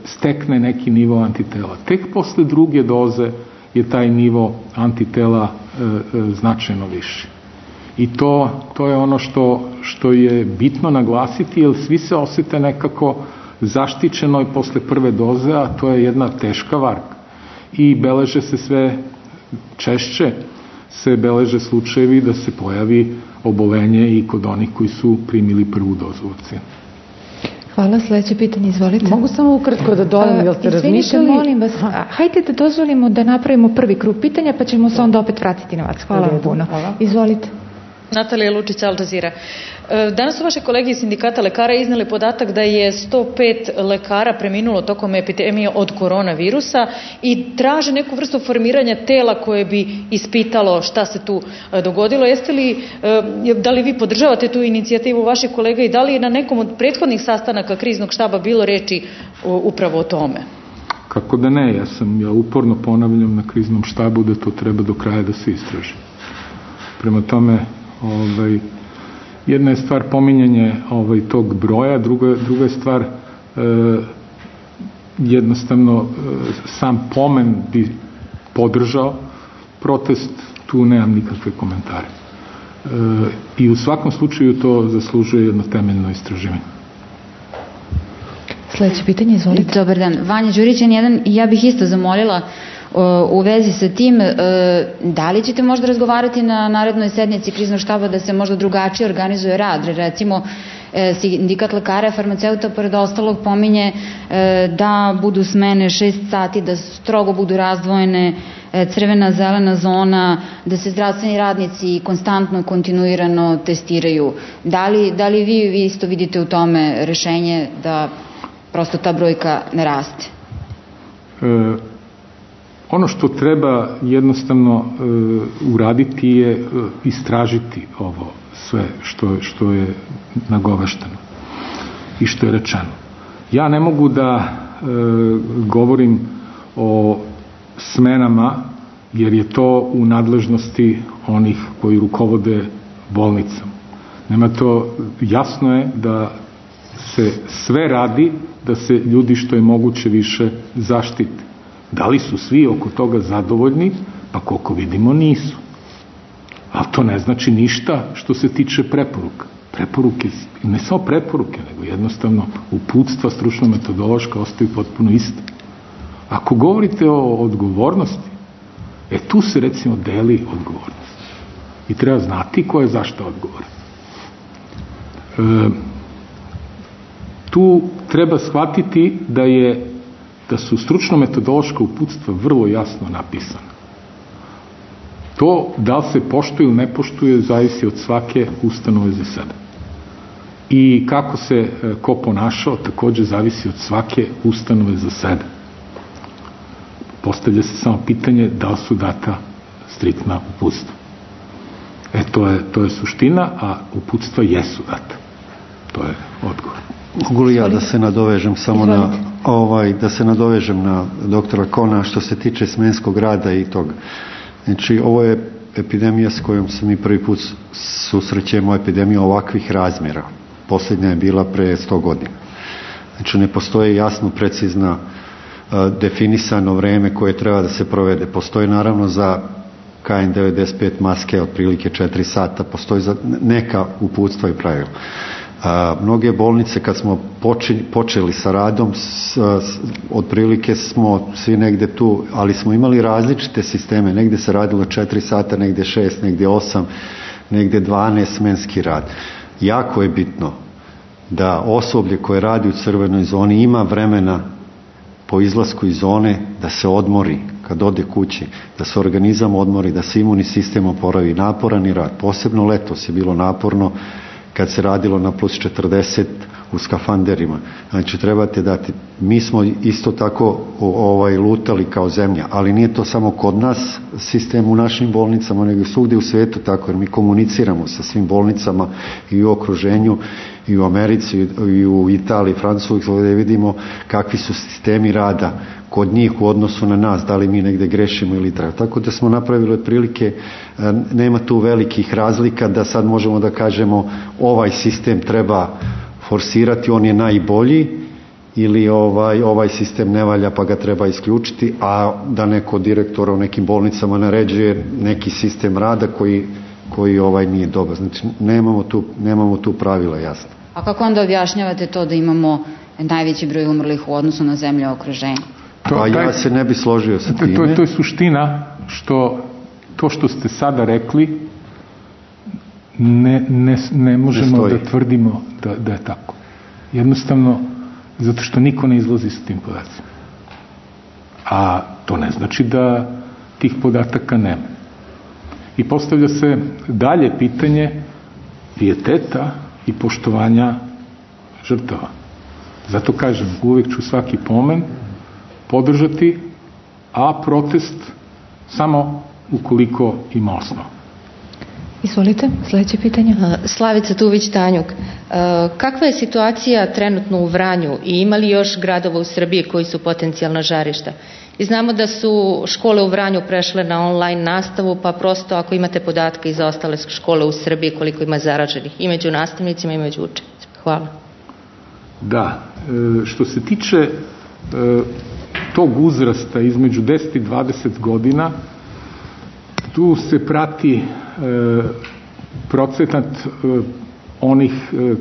stekne neki nivo antitela. Tek posle druge doze je taj nivo antitela značajno viši. I to je ono što je bitno naglasiti, jer svi se osete nekako zaštićeno i posle prve doze, a to je jedna teška varka. I beleže se sve češće, se beleže slučajevi da se pojavi obolenje i kod onih koji su primili prvu dozu vakcine.
Hvala, sledeće pitanje, izvolite.
Mogu samo ukratko da dodam, jel ste razmišljali?
Molim vas, hajde da dozvolimo da napravimo prvi krug pitanja, pa ćemo se onda opet vratiti na vas. Hvala vam puno. Izvolite.
Natalija Lučić, Al Jazeera. Danas su vaše kolege iz sindikata lekara izneli podatak da je 105 lekara preminulo tokom epidemije od koronavirusa i traže neku vrstu formiranja tela koje bi ispitalo šta se tu dogodilo. Da li vi podržavate tu inicijativu vaših kolega i da li je na nekom od prethodnih sastanaka kriznog štaba bilo reči upravo o tome?
Kako da ne, ja uporno ponavljam na kriznom štabu da to treba do kraja da se istraži. Prema tome, jedna je stvar pominjanje tog broja, druga je stvar jednostavno sam pomen bi podržao protest, tu nemam nikakve komentare. I u svakom slučaju to zaslužuje jedno temeljno istraživanje.
Sljedeće pitanje, izvolite.
Dobar dan. Vanja Đurićan, ja bih isto zamolila u vezi sa tim, da li ćete možda razgovarati na narednoj sednici kriznog štaba da se možda drugačije organizuje rad? Recimo, sindikat lekara, farmaceuta, pored ostalog, pominje da budu smene 6 sati, da strogo budu razdvojene, crvena, zelena zona, da se zdravstveni radnici konstantno, kontinuirano testiraju. Da li vi isto vidite u tome rešenje da prosto ta brojka ne raste?
Ono što treba jednostavno uraditi je istražiti ovo sve što je nagovešteno i što je rečeno. Ja ne mogu da govorim o smenama jer je to u nadležnosti onih koji rukovode bolnicama. Nema to, jasno je da se sve radi da se ljudi što je moguće više zaštite. Da li su svi oko toga zadovoljni? Pa koliko vidimo nisu. Ali to ne znači ništa što se tiče preporuka. Preporuke, ne samo preporuke, nego jednostavno uputstva stručno-metodološka ostaju potpuno iste. Ako govorite o odgovornosti, tu se recimo deli odgovornost. I treba znati ko je zašto odgovoran. Tu treba shvatiti da su stručno-metodološka uputstva vrlo jasno napisana. To da li se poštuje ili ne poštuje zavisi od svake ustanove za sebe. I kako se ko ponašao takođe zavisi od svake ustanove za sebe. Postavlja se samo pitanje da li su data striktna uputstva. To je suština, a uputstva jesu data. To je odgovor.
Mogu li ja da se nadovežem samo da se nadovežem na doktora Kona što se tiče smenskog rada i toga. Znači, ovo je epidemija s kojom se mi prvi put susrećemo, epidemija ovakvih razmjera. Posljednja je bila pre 100 godina. Znači, ne postoji jasno, precizno definisano vreme koje treba da se provede. Postoji naravno za KN95 maske otprilike 4 sata, postoji za neka uputstva i pravila. Mnoge bolnice kad smo počeli sa radom otprilike smo svi negde tu, ali smo imali različite sisteme, negde se radilo 4 sata, negde 6, negde 8, negde 12 smenski rad. Jako je bitno da osoblje koje radi u crvenoj zoni ima vremena po izlasku iz zone da se odmori kad ode kući, da se organizam odmori, da se imunni sistem oporavi. Naporan i rad, posebno letos je bilo naporno kad se radilo na plus 40 u skafanderima. Znači, trebate dati. Mi smo isto tako lutali kao zemlja, ali nije to samo kod nas sistem u našim bolnicama, nego svugdje u svijetu tako, jer mi komuniciramo sa svim bolnicama i u okruženju, i u Americi, i u Italiji, Francuskoj, gdje vidimo kakvi su sistemi rada kod njih u odnosu na nas, da li mi negde grešimo ili treba. Tako da smo napravili otprilike, nema tu velikih razlika da sad možemo da kažemo ovaj sistem treba forsirati, on je najbolji ili ovaj sistem ne valja pa ga treba isključiti, a da neko direktora u nekim bolnicama naređuje neki sistem rada koji nije dobar. Znači nemamo tu pravila, jasno.
A kako onda objašnjavate to da imamo najveći broj umrlih u odnosu na zemlje u okruženju?
Pa ja se ne bi složio sa time.
To je suština to što ste sada rekli ne možemo da tvrdimo da je tako. Jednostavno zato što niko ne izlazi sa tim podacima. A to ne znači da tih podataka nema. I postavlja se dalje pitanje pijeteta i poštovanja žrtava. Zato kažem, uvijek ću svaki pomen podržati, a protest samo ukoliko ima osnov.
Izvolite, sljedeće pitanje.
Slavica Tuvić-Tanjuk. Kakva je situacija trenutno u Vranju i ima li još gradova u Srbiji koji su potencijalna žarišta? I znamo da su škole u Vranju prešle na online nastavu, pa prosto ako imate podatke i za ostale škole u Srbiji koliko ima zaraženih i među nastavnicima i među učenicima. Hvala.
Da, što se tiče tog uzrasta između 10 i 20 godina, tu se prati procenat onih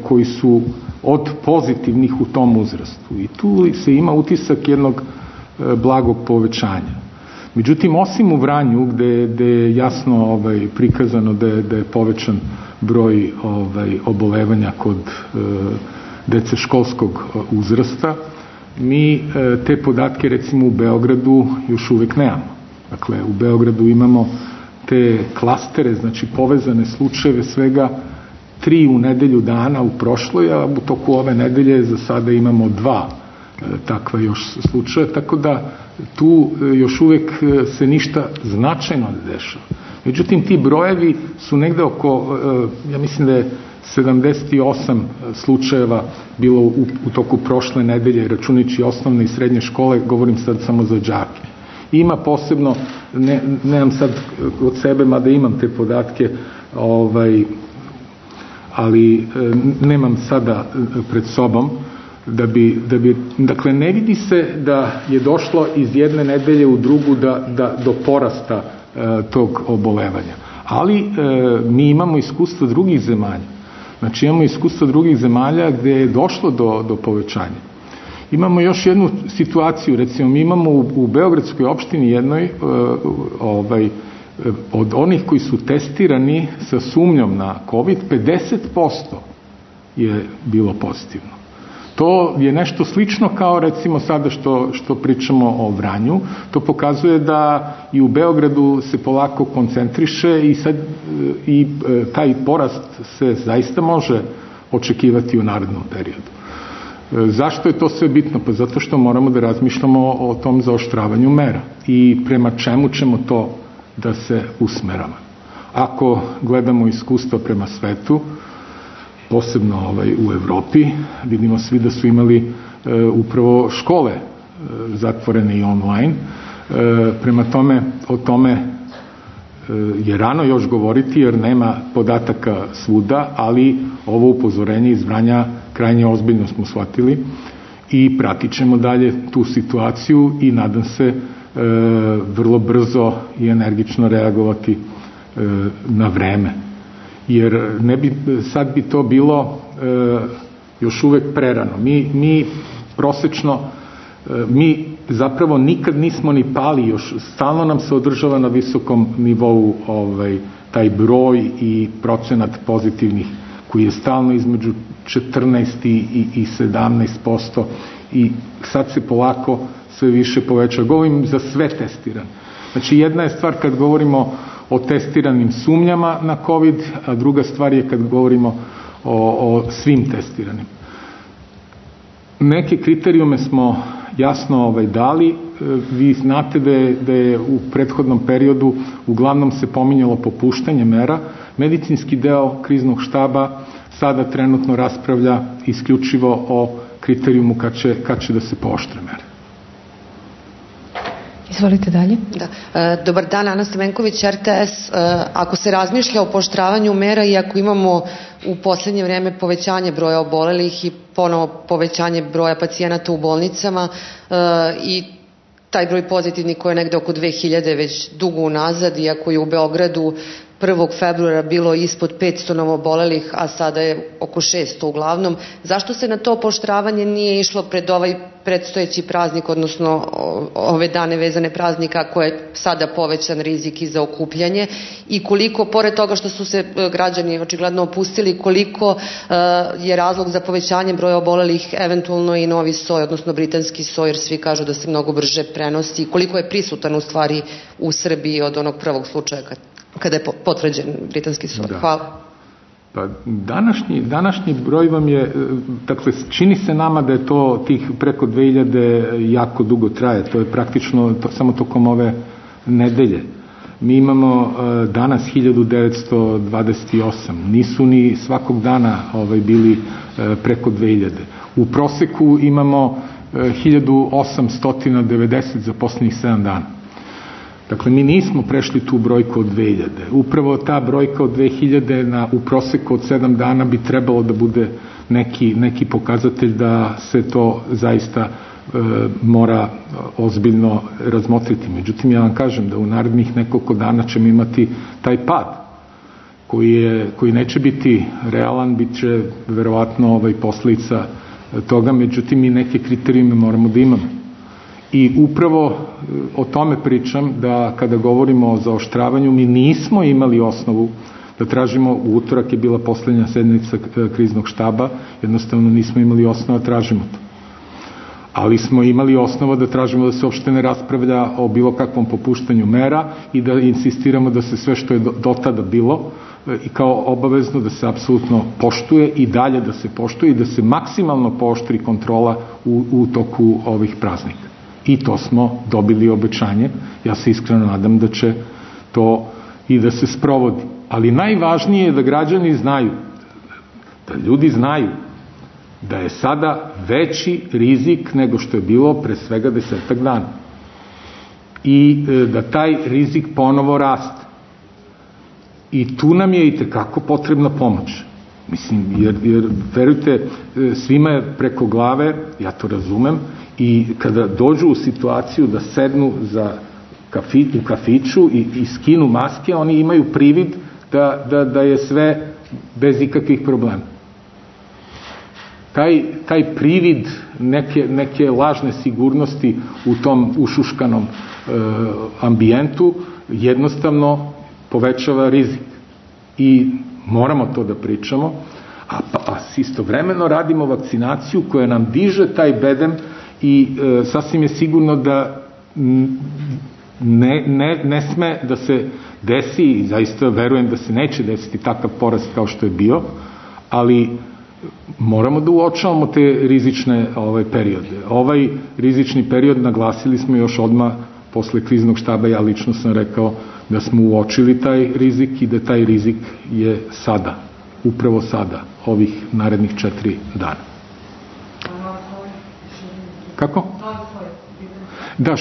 koji su od pozitivnih u tom uzrastu. I tu se ima utisak jednog blagog povećanja. Međutim, osim u Vranju, gde je jasno prikazano da je povećan broj obolevanja kod dece školskog uzrasta, mi te podatke recimo u Beogradu još uvijek nemamo. Dakle, u Beogradu imamo te klastere, znači povezane slučajeve, svega 3 u nedelju dana u prošloj, a u toku ove nedelje za sada imamo 2 takva još slučaja, tako da tu još uvijek se ništa značajno ne dešava. Međutim, ti brojevi su negde oko, ja mislim da je 78 slučajeva bilo u toku prošle nedelje, računajući osnovne i srednje škole, govorim sad samo za đake. Ima posebno, nemam sad od sebe, mada imam te podatke, ali nemam sada pred sobom, dakle ne vidi se da je došlo iz jedne nedelje u drugu do porasta tog obolevanja. Ali mi imamo iskustva drugih zemalja. Znači imamo iskustva drugih zemalja gdje je došlo do povećanja. Imamo još jednu situaciju, recimo mi imamo u Beogradskoj opštini jednoj od onih koji su testirani sa sumnjom na COVID, 50% je bilo pozitivno. To je nešto slično kao recimo sada što pričamo o Vranju. To pokazuje da i u Beogradu se polako koncentriše i taj porast se zaista može očekivati u narednom periodu. Zašto je to sve bitno? Pa zato što moramo da razmišljamo o tom zaoštravanju mera i prema čemu ćemo to da se usmeramo. Ako gledamo iskustva prema svetu, posebno u Evropi, vidimo svi da su imali upravo škole zatvorene i online. Prema tome, o tome je rano još govoriti jer nema podataka svuda, ali ovo upozorenje iz Vranja krajnje ozbiljno smo shvatili i pratit ćemo dalje tu situaciju i nadam se vrlo brzo i energično reagovati na vreme. Jer sad bi to bilo još uvek prerano. Mi prosečno, mi zapravo nikad nismo ni pali, još stalno nam se održava na visokom nivou taj broj i procenat pozitivnih koji je stalno između 14 i 17% i sad se polako sve više poveća. Govorim za sve testirane. Znači jedna je stvar kad govorimo o testiranim sumnjama na COVID, a druga stvar je kad govorimo o svim testiranim. Neke kriterijume smo jasno dali. Vi znate da je u prethodnom periodu uglavnom se pominjalo popuštanje mera. Medicinski deo kriznog štaba sada trenutno raspravlja isključivo o kriterijumu kad će da se pooštre mere.
Izvolite dalje.
Dobar dan, Ana Stamenković, RTS. Ako se razmišlja o pooštravanju mera i ako imamo
u poslednje vreme povećanje broja obolelih i ponovo povećanje broja pacijenata u bolnicama i taj broj pozitivni koji je negde oko 2000 već dugo unazad, iako je u Beogradu 1. februara bilo ispod 500 novobolelih, a sada je oko 600 uglavnom. Zašto se na to pooštravanje nije išlo pred ovaj predstojeći praznik, odnosno ove dane vezane praznika koje je sada povećan rizik i za okupljanje, i koliko, pored toga što su se građani očigledno opustili, koliko je razlog za povećanje broja obolelih eventualno i novi soj, odnosno britanski soj, jer svi kažu da se mnogo brže prenosi, koliko je prisutan u stvari u Srbiji od onog prvog slučaja kada je potvrđen britanski soj. Hvala.
Pa današnji broj vam je, dakle, čini se nama da je to tih preko 2000 jako dugo traje, to je praktično samo tokom ove nedelje. Mi imamo danas 1928, nisu ni svakog dana bili preko 2000. U proseku imamo 1890 za posljednjih 7 dana. Dakle, mi nismo prešli tu brojku od 2000. Upravo ta brojka od 2000 u proseku od 7 dana bi trebalo da bude neki pokazatelj da se to zaista mora ozbiljno razmotriti. Međutim, ja vam kažem da u narednih nekoliko dana ćemo imati taj pad koji neće biti realan, bit će verovatno posledica toga, međutim i neke kriterijume moramo da imamo. I upravo o tome pričam, da kada govorimo o zaoštravanju, mi nismo imali osnovu da tražimo, u utorak je bila poslednja sednica kriznog štaba, jednostavno nismo imali osnova da tražimo to. Ali smo imali osnova da tražimo da se uopšte ne raspravlja o bilo kakvom popuštanju mera i da insistiramo da se sve što je do tada bilo i kao obavezno da se apsolutno poštuje i dalje da se poštuje i da se maksimalno pooštri kontrola u toku ovih praznika. I to smo dobili obećanje. Ja se iskreno nadam da će to i da se sprovodi. Ali najvažnije je da građani znaju, da ljudi znaju da je sada veći rizik nego što je bilo pre svega 10 dana. I da taj rizik ponovo raste. I tu nam je itekako potrebna pomoć. Mislim, jer verujte, svima je preko glave, ja to razumem, i kada dođu u situaciju da sednu u kafiću i skinu maske, oni imaju privid da je sve bez ikakvih problema. Taj privid neke lažne sigurnosti u tom ušuškanom ambijentu jednostavno povećava rizik. I moramo to da pričamo, a istovremeno radimo vakcinaciju koja nam diže taj bedem i sasvim je sigurno da ne sme da se desi, i zaista verujem da se neće desiti takav porast kao što je bio, ali moramo da uočavamo te rizične periode. Ovaj rizični period naglasili smo još odmah posle kriznog štaba, ja lično sam rekao da smo uočili taj rizik i da taj rizik je sada, upravo sada, ovih narednih 4 dana. Kako? Da,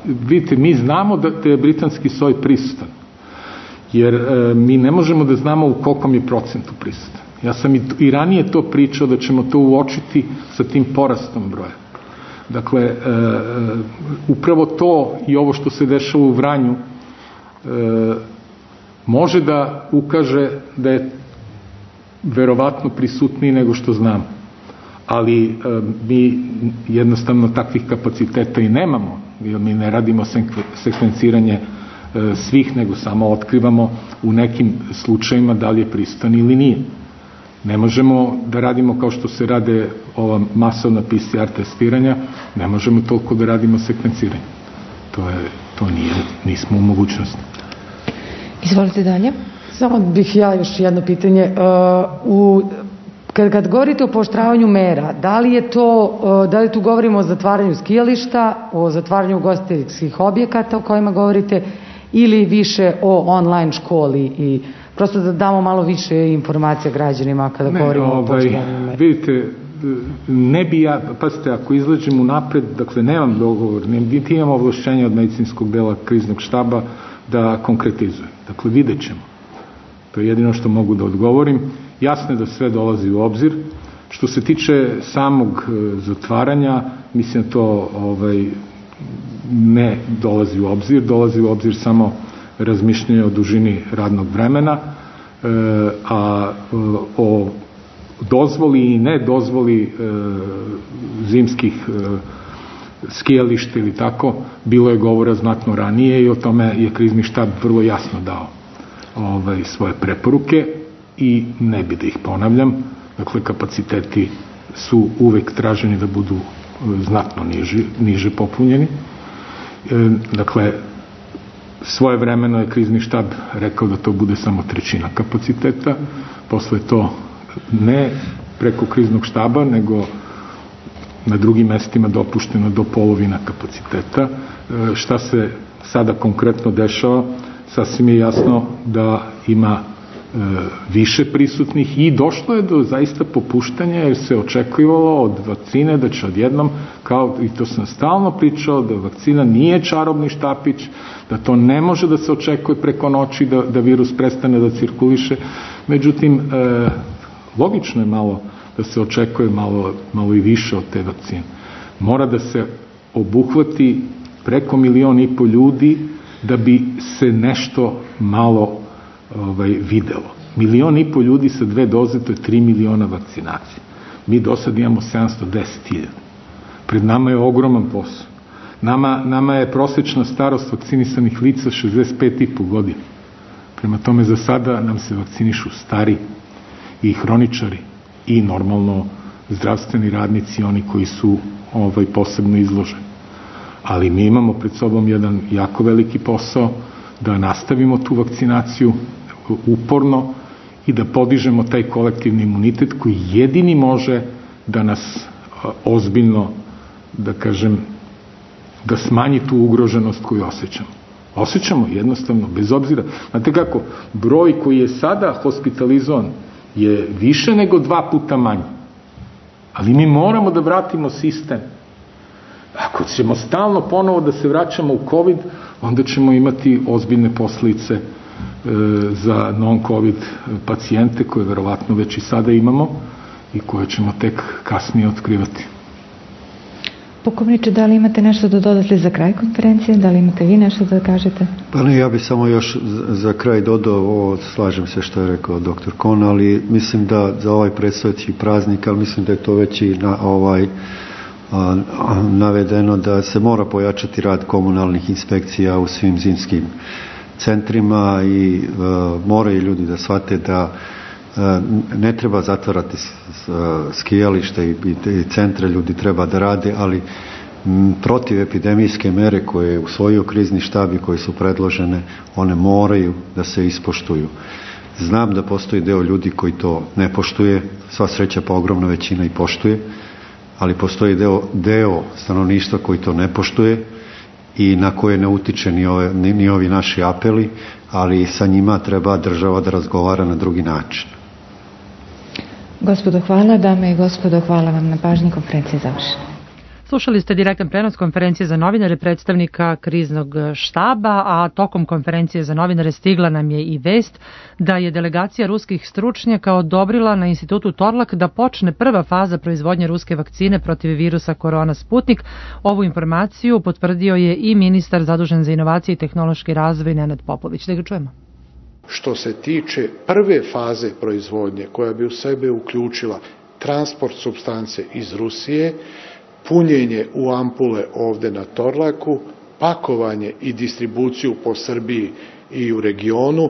vidite, mi znamo da je britanski soj prisutan, jer mi ne možemo da znamo u kolkom je procentu prisutan. Ja sam i ranije to pričao da ćemo to uočiti sa tim porastom broja. Dakle, upravo to i ovo što se dešava u Vranju može da ukaže da je verovatno prisutniji nego što znamo. Ali mi jednostavno takvih kapaciteta i nemamo, jer mi ne radimo sekvenciranje svih, nego samo otkrivamo u nekim slučajima da li je prisutan ili nije. Ne možemo da radimo kao što se rade ova masovna PCR testiranja, ne možemo toliko da radimo sekvenciranje. To nismo u mogućnosti.
Izvolite dalje.
Samo bih ja još jedno pitanje. Kad govorite o pooštravanju mera, da li tu govorimo o zatvaranju skijališta, o zatvaranju ugostiteljskih objekata o kojima govorite, ili više o online školi, i prosto da damo malo više informacija građanima kada govorimo o pooštravanju mera?
Vidite, ne bi ja, pazite, ako izlađem unapred, dakle nemam dogovor, niti imam ovlašćenje od medicinskog dela kriznog štaba da konkretizujem. Dakle, vidjet ćemo. To je jedino što mogu da odgovorim jasno je da sve dolazi u obzir. Što se tiče samog zatvaranja, mislim to ne dolazi u obzir samo razmišljanje o dužini radnog vremena, a o dozvoli i ne dozvoli zimskih skijališta ili tako, bilo je govora znatno ranije i o tome je krizni štab vrlo jasno dao svoje preporuke i ne bi da ih ponavljam. Dakle, kapaciteti su uvek traženi da budu znatno niže popunjeni. Dakle, svojevremeno je krizni štab rekao da to bude samo 1/3 kapaciteta, posle to ne preko kriznog štaba, nego na drugim mestima dopušteno do polovina kapaciteta. Šta se sada konkretno dešava? Sasvim je jasno da ima više prisutnih i došlo je do zaista popuštanja, jer se očekivalo od vakcine da će odjednom, kao i to sam stalno pričao, da vakcina nije čarobni štapić, da to ne može da se očekuje preko noći da virus prestane da cirkuliše. Međutim, logično je malo da se očekuje malo i više od te vakcine. Mora da se obuhvati preko 1,5 miliona ljudi da bi se nešto malo videlo. 1,5 miliona ljudi sa 2 doze, to je 3 miliona vakcinacija. Mi do sad imamo 710.000. Pred nama je ogroman posao. Nama je prosečna starost vakcinisanih lica 65,5 godina. Prema tome, za sada nam se vakcinišu stari i hroničari i normalno zdravstveni radnici, oni koji su posebno izloženi. Ali mi imamo pred sobom jedan jako veliki posao da nastavimo tu vakcinaciju uporno i da podižemo taj kolektivni imunitet koji jedini može da nas ozbiljno, da kažem, da smanji tu ugroženost koju osjećamo. Osjećamo jednostavno, bez obzira. Znate kako, broj koji je sada hospitalizovan je više nego 2 puta manji. Ali mi moramo da vratimo sistem. Ako ćemo stalno ponovo da se vraćamo u COVID, onda ćemo imati ozbiljne posljedice za non-COVID pacijente, koje verovatno već i sada imamo i koje ćemo tek kasnije otkrivati.
Pukovniče, da li imate nešto da dodate za kraj konferencije? Da li imate vi nešto da kažete?
Pa ne, ja bih samo još za kraj dodao, slažem se što je rekao dr. Kon, ali mislim da za ovaj predstojeći praznik, ali mislim da je to već i navedeno, da se mora pojačati rad komunalnih inspekcija u svim zimskim centrima i moraju ljudi da shvate da ne treba zatvarati skijalište i centre, ljudi treba da rade, ali protiv epidemijske mere koje je usvojio krizni štab i koje su predložene, one moraju da se ispoštuju. Znam da postoji deo ljudi koji to ne poštuje, sva sreća pa ogromna većina i poštuje, ali postoji deo stanovništva koji to ne poštuje i na koje ne utiče ni ovi naši apeli, ali sa njima treba država da razgovara na drugi način.
Gospodo, hvala. Dame i gospodo, hvala vam na pažnji. Konferencija je završena.
Slušali ste direktan prenos konferencije za novinare predstavnika kriznog štaba, a tokom konferencije za novinare stigla nam je i vest da je delegacija ruskih stručnjaka odobrila na institutu Torlak da počne prva faza proizvodnje ruske vakcine protiv virusa korona Sputnik. Ovu informaciju potvrdio je i ministar zadužen za inovacije i tehnološki razvoj Nenad Popović. Da ga čujemo.
Što se tiče prve faze proizvodnje, koja bi u sebe uključila transport supstance iz Rusije, punjenje u ampule ovde na Torlaku, pakovanje i distribuciju po Srbiji i u regionu,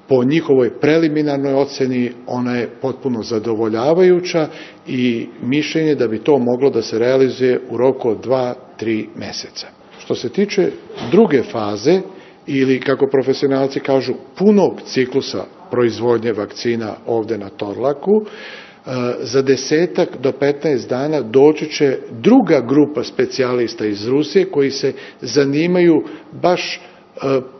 po njihovoj preliminarnoj oceni ona je potpuno zadovoljavajuća i mišljenje da bi to moglo da se realizuje u roku od 2-3 meseca. Što se tiče druge faze, ili kako profesionalci kažu punog ciklusa proizvodnje vakcina ovde na Torlaku, za 10 do 15 dana doći će druga grupa specijalista iz Rusije koji se zanimaju baš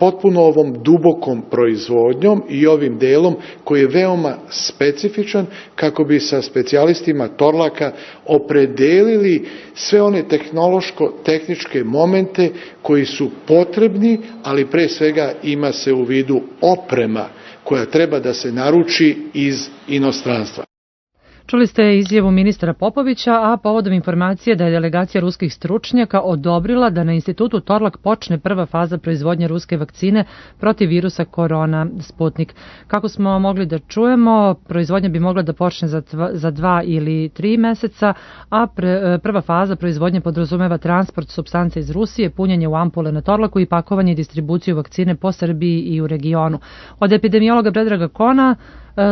potpuno ovom dubokom proizvodnjom i ovim delom koji je veoma specifičan kako bi sa specijalistima Torlaka opredelili sve one tehnološko-tehničke momente koji su potrebni, ali pre svega ima se u vidu oprema koja treba da se naruči iz inostranstva.
Čuli ste izjavu ministra Popovića, a povodom informacije da je delegacija ruskih stručnjaka odobrila da na institutu Torlak počne prva faza proizvodnje ruske vakcine protiv virusa korona Sputnik. Kako smo mogli da čujemo, proizvodnja bi mogla da počne za 2 ili 3 meseca, a prva faza proizvodnje podrazumeva transport supstance iz Rusije, punjenje u ampule na Torlaku i pakovanje i distribuciju vakcine po Srbiji i u regionu. Od epidemiologa Predraga Kona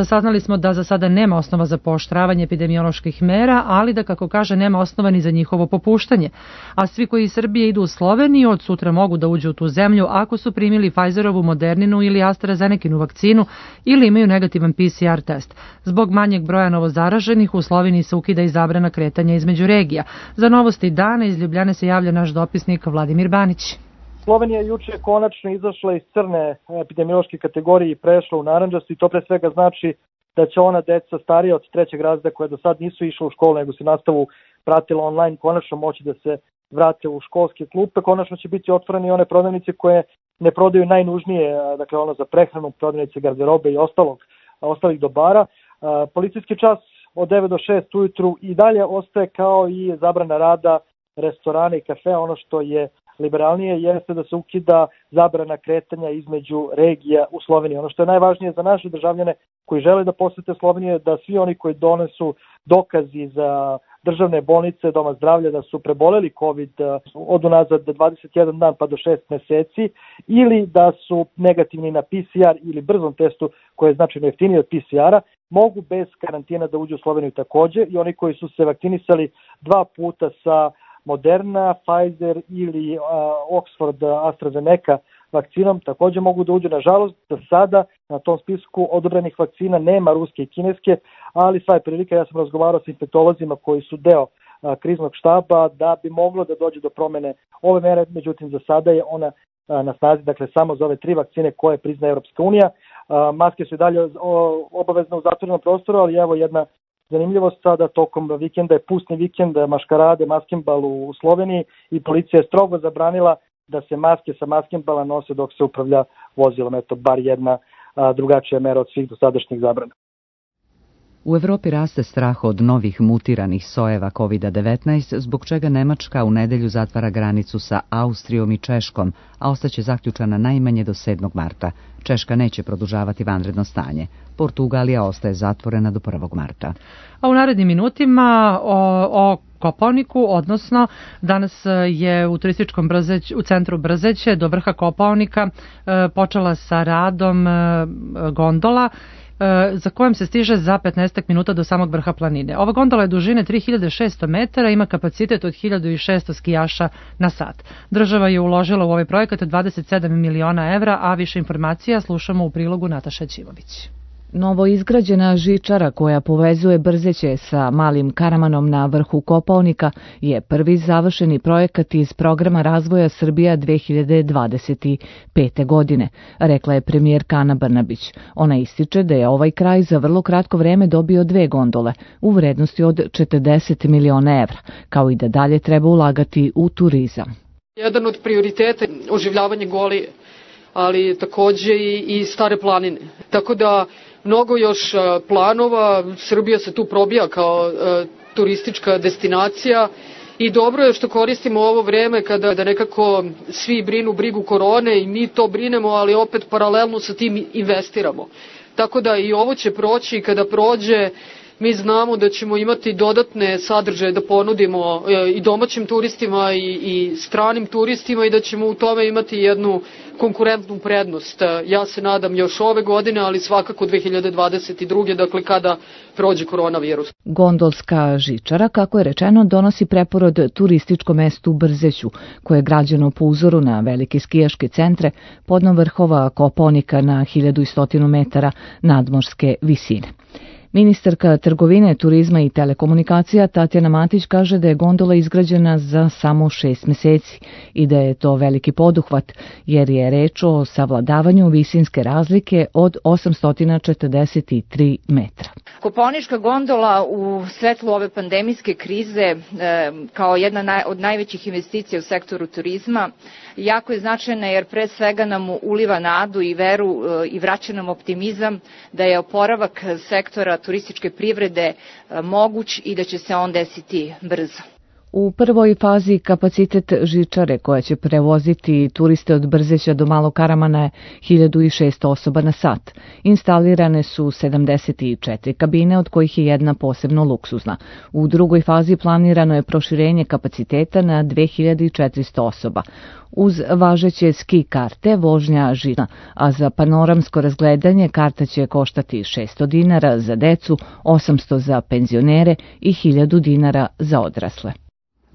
saznali smo da za sada nema osnova za pooštravanje epidemioloških mera, ali da, kako kaže, nema osnova ni za njihovo popuštanje. A svi koji iz Srbije idu u Sloveniju od sutra mogu da uđu u tu zemlju ako su primili Pfizerovu, Moderninu ili AstraZenekinu vakcinu ili imaju negativan PCR test. Zbog manjeg broja novozaraženih u Sloveniji se ukida i zabrana kretanja između regija. Za novosti dana iz Ljubljane se javlja naš dopisnik Vladimir Banić.
Slovenija je juče konačno izašla iz crne epidemiološke kategorije i prešla u narandžastu i to pre svega znači da će ona deca starija od 3. razreda koja do sad nisu išla u školu nego se nastavu pratila online konačno moći da se vrate u školske klupe. Konačno će biti otvorene i one prodavnice koje ne prodaju najnužnije, dakle ono za prehranu, prodavnice garderobe i ostalih dobara. Policijski čas od 9 do 6 ujutru i dalje ostaje kao i zabrana rada restorana i kafe. Ono što je liberalnije jeste da se ukida zabrana kretanja između regija u Sloveniji. Ono što je najvažnije za naše državljane koji žele da posete Sloveniju je da svi oni koji donesu dokazi za državne bolnice, doma zdravlja da su preboleli COVID od unazad 21 dan pa do 6 meseci ili da su negativni na PCR ili brzom testu koji je značajno jeftiniji od PCR-a, mogu bez karantina da uđu u Sloveniju takođe i oni koji su se vakcinisali 2 puta sa Moderna, Pfizer ili Oxford AstraZeneca vakcinom takođe mogu da uđu. Nažalost, do sada na tom spisku odobrenih vakcina nema ruske i kineske, ali sva je prilika, ja sam razgovarao sa infektolozima koji su deo kriznog štaba da bi moglo da dođe do promene ove mere, međutim za sada je ona na snazi, dakle samo za ove 3 vakcine koje priznaje Europska unija. Maske su i dalje obavezne u zatvorenom prostoru, ali evo jedna zanimljivost sada tokom vikenda je pustni vikend, maškarade, maskembal u Sloveniji i policija je strogo zabranila da se maske sa maskembala nose dok se upravlja vozilom. Eto, bar jedna drugačija mera od svih dosadašnjih zabrana.
U Evropi raste strah od novih mutiranih sojeva COVID-19, zbog čega Nemačka u nedelju zatvara granicu sa Austrijom i Češkom, a ostaće zaključana najmanje do 7. marta. Češka neće produžavati vanredno stanje. Portugalija ostaje zatvorena do 1. marta.
A u narednim minutima o Kopaoniku, odnosno danas je u turističkom u centru Brzeće do vrha Kopaonika počela sa radom gondola za kojom se stiže za 15 minuta do samog vrha planine. Ova gondola je dužine 3600 metara, ima kapacitet od 1600 skijaša na sat. Država je uložila u ovaj projekat 27 miliona evra, a više informacija slušamo u prilogu Nataša Ćimović.
Novo izgrađena žičara koja povezuje Brzeće sa Malim Karamanom na vrhu Kopaonika je prvi završeni projekat iz programa razvoja Srbija 2025. godine, rekla je premijerka Ana Brnabić. Ona ističe da je ovaj kraj za vrlo kratko vreme dobio 2 gondole u vrednosti od 40 miliona evra, kao i da dalje treba ulagati u turizam.
Jedan od prioriteta je oživljavanje Golije, ali takođe i Stare planine. Tako da mnogo još planova, Srbija se tu probija kao turistička destinacija i dobro je što koristimo ovo vreme kada nekako svi brinu brigu korone i mi to brinemo, ali opet paralelno sa tim investiramo. Tako da i ovo će proći i kada prođe mi znamo da ćemo imati dodatne sadržaje da ponudimo i domaćim turistima i stranim turistima i da ćemo u tome imati jednu konkurentnu prednost. Ja se nadam još ove godine, ali svakako 2022. dakle kada prođe koronavirus.
Gondolska žičara, kako je rečeno, donosi preporod turističkom mestu Brzeću, koje je građeno po uzoru na velike skijaške centre podno vrhova Kopaonika na 1100 metara nadmorske visine. Ministarka trgovine, turizma i telekomunikacija Tatjana Matić kaže da je gondola izgrađena za samo 6 meseci i da je to veliki poduhvat, jer je reč o savladavanju visinske razlike od 843 metra.
Kopaonička gondola u svetlu ove pandemijske krize kao jedna od najvećih investicija u sektoru turizma jako je značajna jer pre svega nam uliva nadu i veru i vraća nam optimizam da je oporavak sektora turističke privrede moguć i da će se on desiti brzo.
U prvoj fazi kapacitet žičare koja će prevoziti turiste od Brzeća do Malog Karamana je 1600 osoba na sat. Instalirane su 74 kabine, od kojih je jedna posebno luksuzna. U drugoj fazi planirano je proširenje kapaciteta na 2400 osoba. Uz važeće ski karte vožnja žičana, a za panoramsko razgledanje karta će koštati 600 dinara za decu, 800 za penzionere i 1000 dinara za odrasle.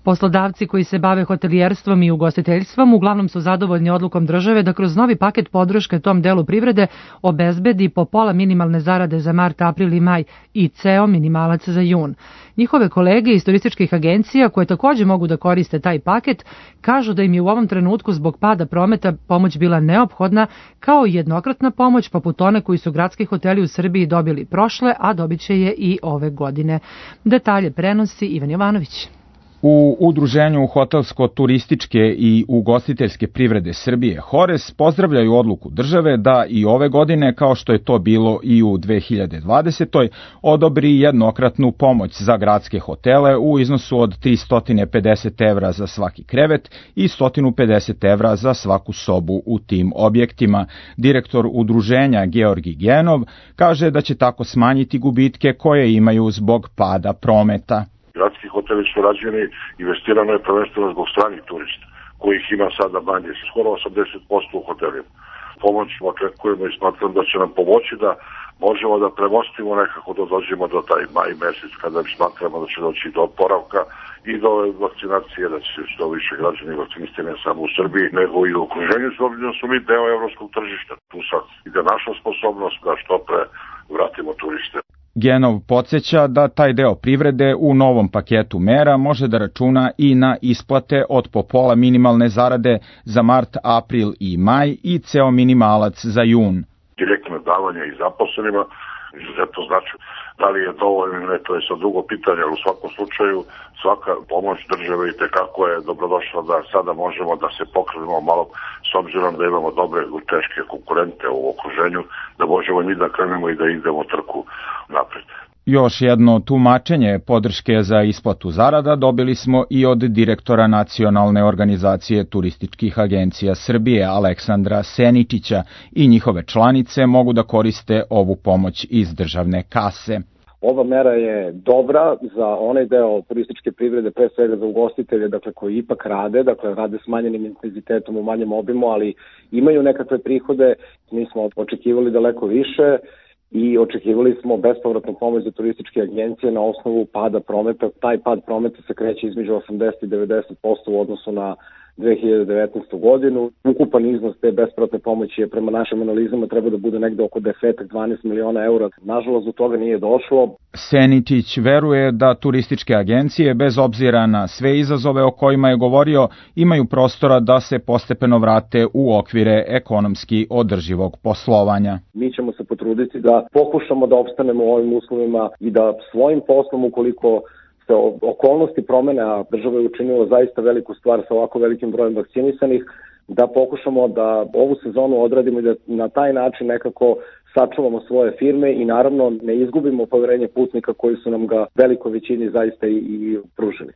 Poslodavci koji se bave hotelijerstvom i ugostiteljstvom uglavnom su zadovoljni odlukom države da kroz novi paket podrške tom delu privrede obezbedi po pola minimalne zarade za mart, april i maj i ceo minimalac za jun. Njihove kolege iz turističkih agencija, koje takođe mogu da koriste taj paket, kažu da im je u ovom trenutku zbog pada prometa pomoć bila neophodna, kao i jednokratna pomoć poput one koji su gradski hoteli u Srbiji dobili prošle, a dobit će je i ove godine. Detalje prenosi Ivan Jovanović.
U Udruženju hotelsko-turističke i ugostiteljske privrede Srbije HORES pozdravljaju odluku države da i ove godine, kao što je to bilo i u 2020. odobri jednokratnu pomoć za gradske hotele u iznosu od 350 evra za svaki krevet i 150 evra za svaku sobu u tim objektima. Direktor udruženja Georgi Genov kaže da će tako smanjiti gubitke koje imaju zbog pada prometa.
Gradski hoteli su rađeni, investirano je prvenstveno zbog stranih turista, kojih ima sada manje, skoro 80% u hotelima. Pomoć očekujemo i smatram da će nam pomoći da možemo da premostimo nekako da dođemo do taj maj mesec kada smatramo da će doći do oporavka i do vakcinacije, da će što više građani vakcinisati ne samo u Srbiji, nego i u okruženju, s obzirom da su mi deo evropskog tržišta. Tu sad ide naša sposobnost da što pre vratimo turiste.
Genov podsjeća da taj deo privrede u novom paketu mera može da računa i na isplate od po pola minimalne zarade za mart, april i maj i ceo minimalac za jun.
Direktno davanje i zaposlenima izuzetno znači da li je dovoljno ili ne, to je sad drugo pitanje, ali u svakom slučaju svaka pomoć države i tekako je dobrodošla da sada možemo da se pokrenemo malo s obzirom da imamo dobre teške konkurente u okruženju, da možemo mi da krenemo i da idemo trku napred.
Još jedno tumačenje podrške za isplatu zarada dobili smo i od direktora Nacionalne organizacije turističkih agencija Srbije Aleksandra Seničića i njihove članice mogu da koriste ovu pomoć iz državne kase.
Ova mera je dobra za onaj deo turističke privrede, pre svega za ugostitelje, dakle koji ipak rade, dakle rade s manjenim intenzitetom u manjem obimu, ali imaju nekakve prihode. Mi smo očekivali daleko više i očekivali smo bespovratnu pomoć za turističke agencije na osnovu pada prometa. Taj pad prometa se kreće između 80 i 90% u odnosu na 2019. godinu. Ukupan iznos te bespovratne pomoći je prema našim analizama treba da bude negde oko 10-12 miliona eura. Nažalost, do toga nije došlo.
Seničić veruje da turističke agencije, bez obzira na sve izazove o kojima je govorio, imaju prostora da se postepeno vrate u okvire ekonomski održivog poslovanja.
Mi ćemo se potruditi da pokušamo da opstanemo u ovim uslovima i da svojim poslom, ukoliko se okolnosti promene, a država je učinila zaista veliku stvar sa ovako velikim brojem vakcinisanih, da pokušamo da ovu sezonu odradimo i da na taj način nekako sačuvamo svoje firme i naravno ne izgubimo poverenje putnika koji su nam ga velikoj većini zaista i pružili.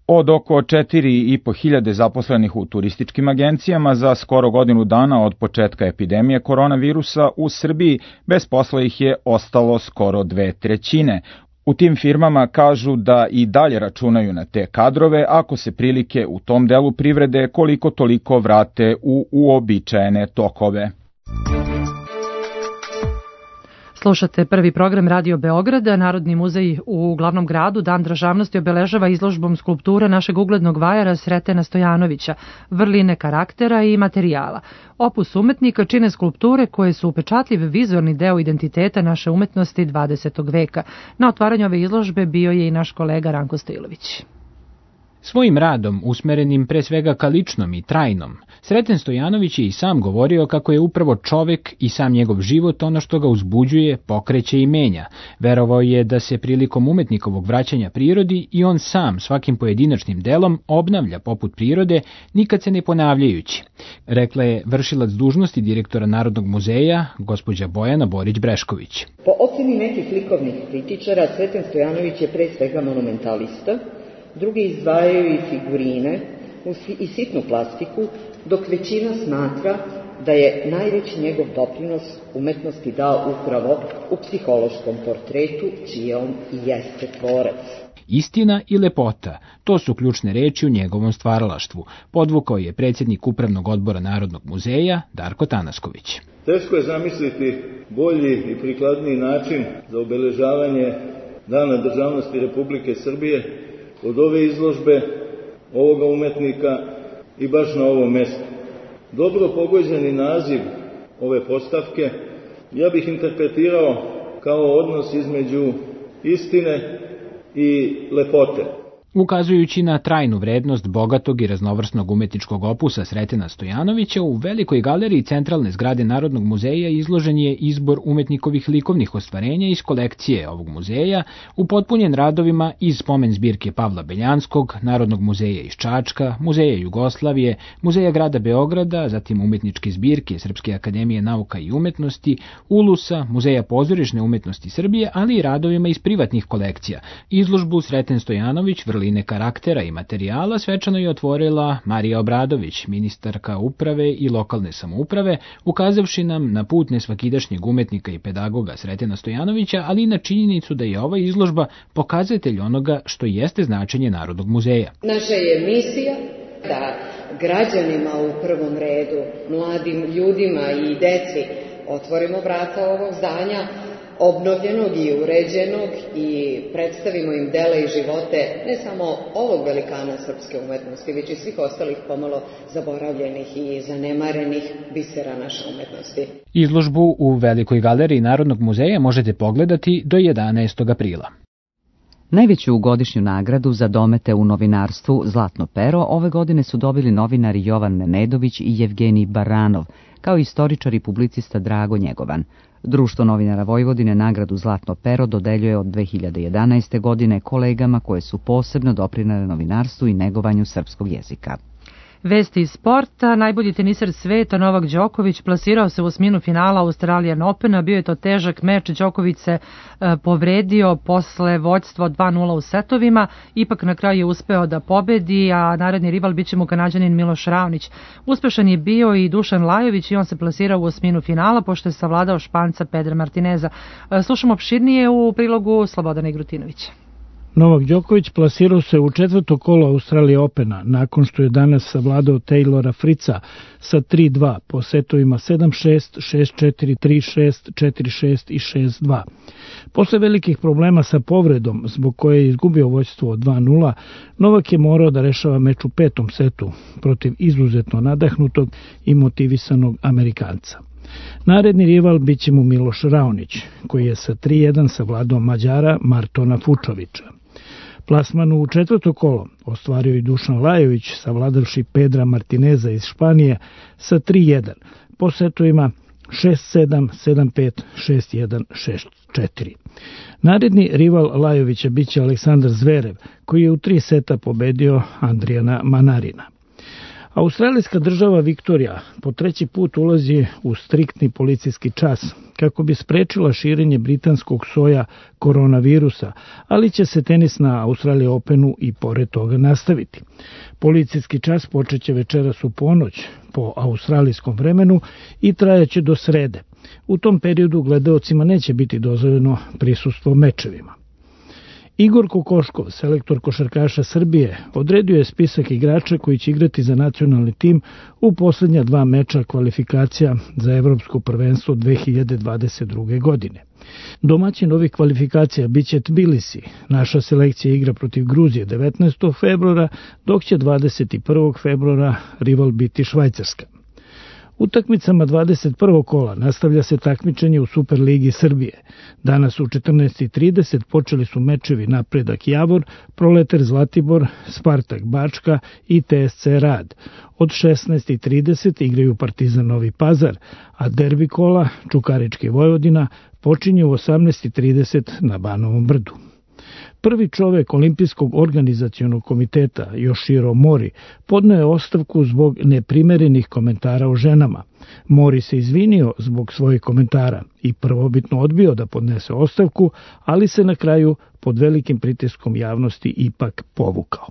Od oko 4.500 zaposlenih u turističkim agencijama za skoro godinu dana od početka epidemije koronavirusa u Srbiji, bez posla ih je ostalo skoro 2/3. U tim firmama kažu da i dalje računaju na te kadrove ako se prilike u tom delu privrede koliko toliko vrate u uobičajene tokove.
Slušate prvi program Radio Beograda. Narodni muzej u glavnom gradu Dan državnosti obeležava izložbom skulptura našeg uglednog vajara Sretena Stojanovića, vrline karaktera i materijala. Opus umetnika čine skulpture koje su upečatljiv vizualni deo identiteta naše umetnosti 20. veka. Na otvaranju ove izložbe bio je i naš kolega Ranko Stojilović.
Svojim radom, usmerenim pre svega ka ličnom i trajnom, Sreten Stojanović je i sam govorio kako je upravo čovek i sam njegov život ono što ga uzbuđuje, pokreće i menja. Verovao je da se prilikom umetnikovog vraćanja prirodi i on sam svakim pojedinačnim delom obnavlja poput prirode, nikad se ne ponavljajući. Rekla je vršilac dužnosti direktora Narodnog muzeja, gospođa Bojana Borić-Brešković.
Po oceni nekih likovnih kritičara, Sreten Stojanović je pre svega monumentalista, drugi izdvajaju i figurine i sitnu plastiku, dok većina smatra da je najveći njegov doprinos umetnosti dao upravo u psihološkom portretu, čije on i jeste tvorac.
Istina i lepota, to su ključne reči u njegovom stvaralaštvu, podvukao je predsjednik Upravnog odbora Narodnog muzeja Darko Tanasković.
Teško je zamisliti bolji i prikladniji način za obeležavanje Dana državnosti Republike Srbije od ove izložbe, ovoga umetnika i baš na ovom mestu. Dobro pogođeni naziv ove postavke ja bih interpretirao kao odnos između istine i lepote.
Ukazujući na trajnu vrednost bogatog i raznovrsnog umetničkog opusa Sretena Stojanovića, u velikoj galeriji centralne zgrade Narodnog muzeja izložen je izbor umetnikovih likovnih ostvarenja iz kolekcije ovog muzeja, upotpunjen radovima iz spomen zbirke Pavla Beljanskog, Narodnog muzeja iz Čačka, Muzeja Jugoslavije, Muzeja grada Beograda, zatim umetničke zbirke Srpske akademije nauka i umetnosti, Ulusa, Muzeja pozorišne umetnosti Srbije, ali i radovima iz privatnih kolekcija. Izložbu Sreten Stojanović, vrline karaktera i materijala svečano je otvorila Marija Obradović, ministarka uprave i lokalne samouprave, ukazavši nam na put nesvakidašnjeg umetnika i pedagoga Sretena Stojanovića, ali i na činjenicu da je ova izložba pokazatelj onoga što jeste značenje Narodnog muzeja.
Naša je misija da građanima u prvom redu, mladim ljudima i deci otvorimo vrata ovog zdanja, obnovljenog i uređenog, i predstavimo im dela i živote ne samo ovog velikana srpske umetnosti, već i svih ostalih pomalo zaboravljenih i zanemarenih bisera naše umetnosti.
Izložbu u Velikoj galeriji Narodnog muzeja možete pogledati do 11. aprila.
Najveću godišnju nagradu za domete u novinarstvu Zlatno pero ove godine su dobili novinari Jovan Memedović i Jevgenij Baranov, kao i istoričar i publicista Drago Njegovan. Društvo novinara Vojvodine nagradu Zlatno pero dodeljuje od 2011. godine kolegama koje su posebno doprinele novinarstvu i negovanju srpskog jezika.
Vesti iz sporta. Najbolji teniser sveta Novak Đoković plasirao se u osminu finala Australian Opena. Bio je to težak meč. Đoković se povredio posle vođstva 2-0 u setovima. Ipak na kraju je uspeo da pobedi, a naredni rival biće mu Kanađanin Miloš Raonić. Uspešan je bio i Dušan Lajović i on se plasirao u osminu finala pošto je savladao Španca Pedra Martineza. Slušamo opširnije u prilogu Slobodana Igrutinovića.
Novak Đoković plasirao se u četvrto kolo Australije Opena, nakon što je danas savladao Taylora Fritza sa 3-2 po setovima 7-6, 6-4, 3-6, 4-6 i 6-2. Posle velikih problema sa povredom, zbog koje je izgubio vođstvo od 2-0, Novak je morao da rešava meč u petom setu protiv izuzetno nadahnutog i motivisanog Amerikanca. Naredni rival biće mu Miloš Raonić, koji je sa 3-1 savladao Mađara Martona Fučovića. Plasman u četvrto kolo ostvario i Dušan Lajović, savladavši Pedra Martineza iz Španije sa 3-1, po setovima 6-7, 7-5, 6-1, 6-4. Naredni rival Lajovića biće Aleksandar Zverev, koji je u 3 seta pobedio Andrijana Manarina. Australijska država Viktorija po treći put ulazi u striktni policijski čas kako bi sprečila širenje britanskog soja koronavirusa, ali će se tenis na Australian Openu i pored toga nastaviti. Policijski čas počeće večeras u ponoć po australijskom vremenu i trajaće do srede. U tom periodu gledaocima neće biti dozvoljeno prisustvo mečevima. Igor Kokoškov, selektor košarkaša Srbije, odredio je spisak igrača koji će igrati za nacionalni tim u posljednja 2 meča kvalifikacija za Evropsko prvenstvo 2022. godine. Domaćin ovih kvalifikacija biće Tbilisi. Naša selekcija igra protiv Gruzije 19. februara, dok će 21. februara rival biti Švajcarska. Utakmicama 21. kola nastavlja se takmičenje u Superligi Srbije. Danas u 14:30 počeli su mečevi Napredak Javor, Proleter Zlatibor, Spartak Bačka i TSC Rad. Od 16:30 igraju Partizan Novi Pazar, a derbi kola Čukarički Vojvodina počinje u 18:30 na Banovom brdu. Prvi čovek Olimpijskog organizacionog komiteta, Yoshiro Mori, podneo je ostavku zbog neprimerenih komentara o ženama. Mori se izvinio zbog svojih komentara i prvobitno odbio da podnese ostavku, ali se na kraju pod velikim pritiskom javnosti ipak povukao.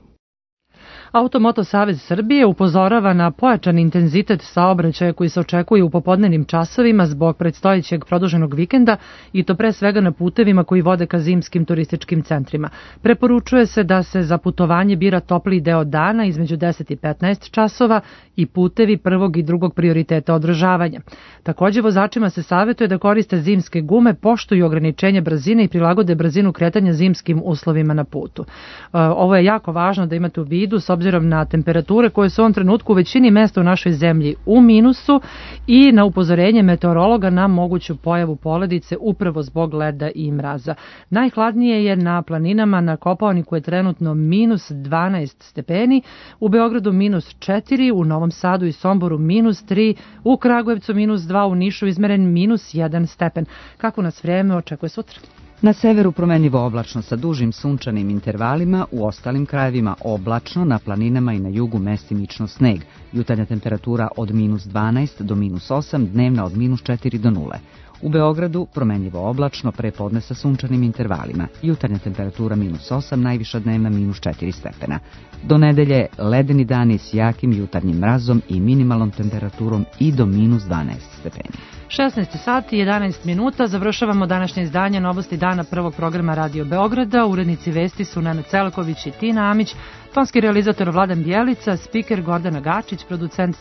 Automoto Savez Srbije upozorava na pojačan intenzitet saobraćaja koji se očekuje u popodnevnim časovima zbog predstojećeg produženog vikenda i to pre svega na putevima koji vode ka zimskim turističkim centrima. Preporučuje se da se za putovanje bira topliji deo dana između 10 i 15 časova i putevi prvog i drugog prioriteta održavanja. Također vozačima se savjetuje da koriste zimske gume, poštuju ograničenje brzine i prilagode brzinu kretanja zimskim uslovima na putu. Ovo je jako važno da imate u vidu s obzirom na temperature koje su u ovom trenutku u većini mesta u našoj zemlji u minusu i na upozorenje meteorologa na moguću pojavu poledice upravo zbog leda i mraza. Najhladnije je na planinama, na Kopaoniku je trenutno minus 12 stepeni, u Beogradu minus 4, u Novom Sadu i Somboru minus 3, u Kragujevcu minus 2, u Nišu izmeren minus 1 stepen. Kako nas vreme očekuje sutra?
Na severu promenljivo oblačno sa dužim sunčanim intervalima, u ostalim krajevima oblačno, na planinama i na jugu mestimično sneg. Jutarnja temperatura od minus 12 do minus 8, dnevna od minus 4 do 0. U Beogradu promenljivo oblačno, prepodne sa sunčanim intervalima. Jutarnja temperatura minus 8, najviša dnevna minus 4 stepena. Do nedelje ledeni dani s jakim jutarnjim mrazom i minimalnom temperaturom i do minus 12 stepeni.
16 sati i 11 minuta, završavamo današnje izdanje Novosti dana prvog programa Radio Beograda. Urednici vesti su Nenad Celaković i Tina Amić, tonski realizator Vladan Bjelica, spiker Gordana Gačić, producent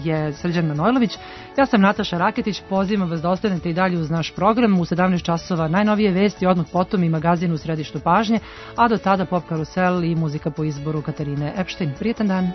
je Srđan Manojlović. Ja sam Nataša Raketić, pozivam vas da ostanete i dalje uz naš program. U 17 časova najnovije vesti, odmah potom i magazin u središtu pažnje, a do tada Pop Karusel i muzika po izboru Katarine Epštajn. Prijetan dan!